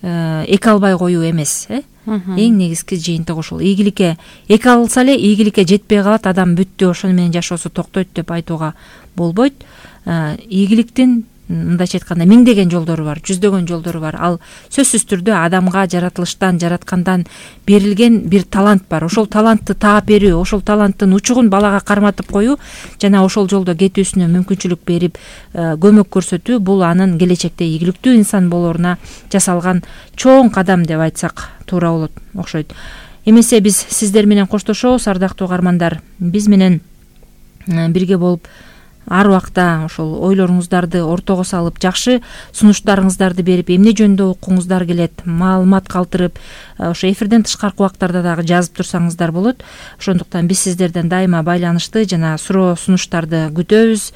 эки албай коюу эмес, э? Эң негизги жыйынтыгы ушул. Ийгиликке эки алса эле ийгиликке жетпей калат, адам бүттү, ошону менен жашоосу токтойт деп айтууга болбойт. Ийгиликтин мындайча айтканда миңдеген жолдору бар, жүздөгөн жолдору бар. Ал сөзсүз түрдө адамга жаратылыштан, жараткандан берилген бир талант бар. Ошол талантты таап берүү, ошол таланттын учугун балага карматып коюу жана ошол жолдо кетүүсүнө мүмкүнчүлүк берип көмөк көрсөтүү бул анын келечекте ийгиликтүү инсан болоруна жасалган чоң кадам деп айтсак туура болот окшойт. Эмесе биз сиздер менен коштошобуз, ардактуу угармандар. Биз менен бирге болуп ар убакта ошол ойлоруңуздарды ортого салып, жакшы сунуштарыңыздарды берип, эмне жөнүндө окуңуздар келет, маалымат калтырып, ошо эфирден тышкаркы убактарда дагы жазып турсаңыздар болот. Ошондуктан биз сиздерден дайыма байланышты жана суроо сунуштарды күтөбүз.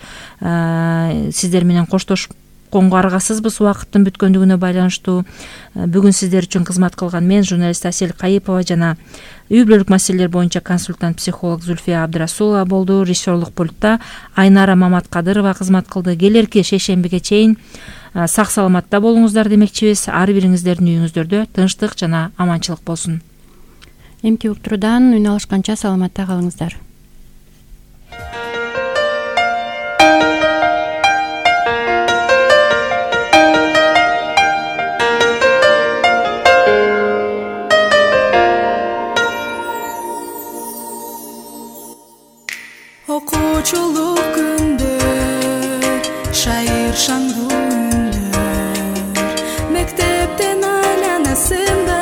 Сиздер менен коштошуп конго аргасызбыз убакыттын бүткөндүгүнө байланыштуу. Бүгүн сиздер үчүн кызмат кылган мен, журналист Асель Кайыпова жана үй бүлөлүк маселелер боюнча консультант психолог Зульфия Абдрасулова болду. Режиссерлук пультта Айнара Маматкадырова кызмат кылды. Келерки шейшембиге чейин сак саламатта болуңуздар демекчибиз. Ар бириңиздердин үйүңүздөрдө тынчтык жана аманчылык болсун. Эмки уктуруудан үн алышканча саламатта калыңыздар. Окуучулук күндөр, шайыр шаңдуу үндөр, мектептен айланасында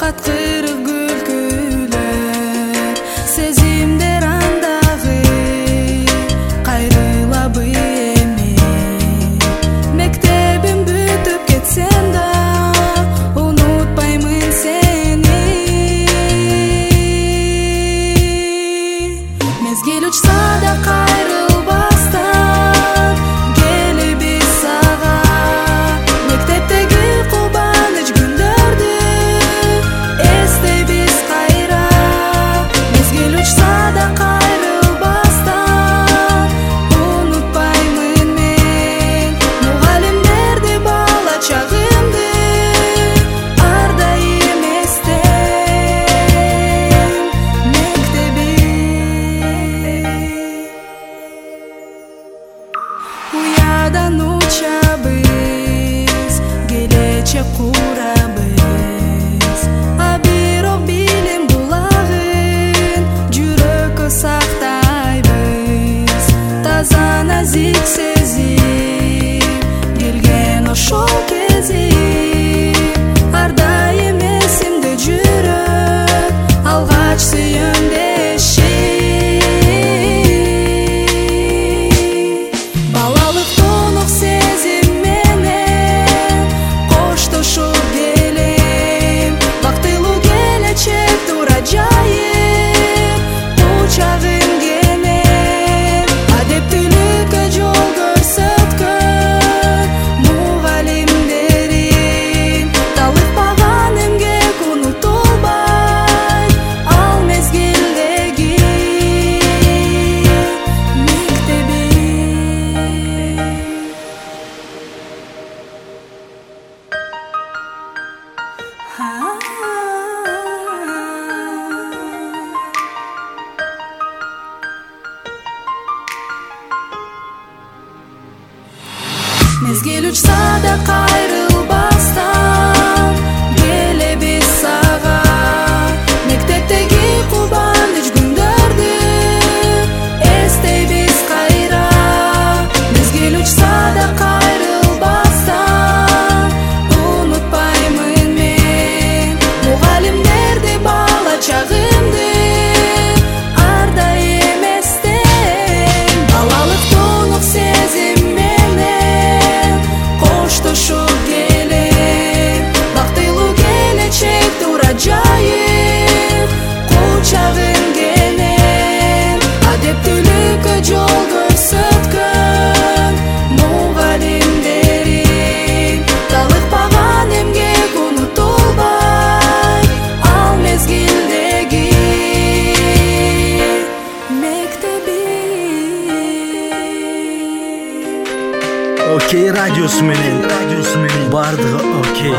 каткырып күлкүлөр, сезимдер андагы кайрылабы эми, мектебим бүтүп кетсем да унутпаймын сени. Мезгил учса да кайрылбастан келебиз сага, мектептеги кубаныч күндөрдү эстейбиз кайра. Мезгил учса да кайрылбастан унутпаймын мен мугалимдерди, бала чагымды ар дайым эстейм. Мектеби уядан учабыз, келечек курабыз, а бирок билим булагын жүрөккө сактайбыз. Таза назик сезим келген ошол кезим ар дайым эсимде жүрөт, алгач сүйөндешим. Балалык тонук сезим менен коштошуп келем, бактылуу келечек тура жайып кучагым кенен. Адептүүлүккө жол көрсөткөн мугалимдерим талыкпаган эмгек унутулбайт ал мезгилдеги мектеби. Мезгил учса да кайрылбастан келебиз сага, мектептеги кубаныч күндөрдү эстейбиз кайра. Мезгил учса да кайрылбастан унутпаймын мен мугалимдерди, бала чагымды ар дайым эстейм. Балалык тонук сезим менен коштошуп келем, бактылуу келечек тура жайып кучагым кенен. Адептүүлүккө жол көрсөткөн мугалимдерим талыкпаган эмгек унутулбайт ал мезгилдеги мектеби. Окей радиосу менен бардыгы окей.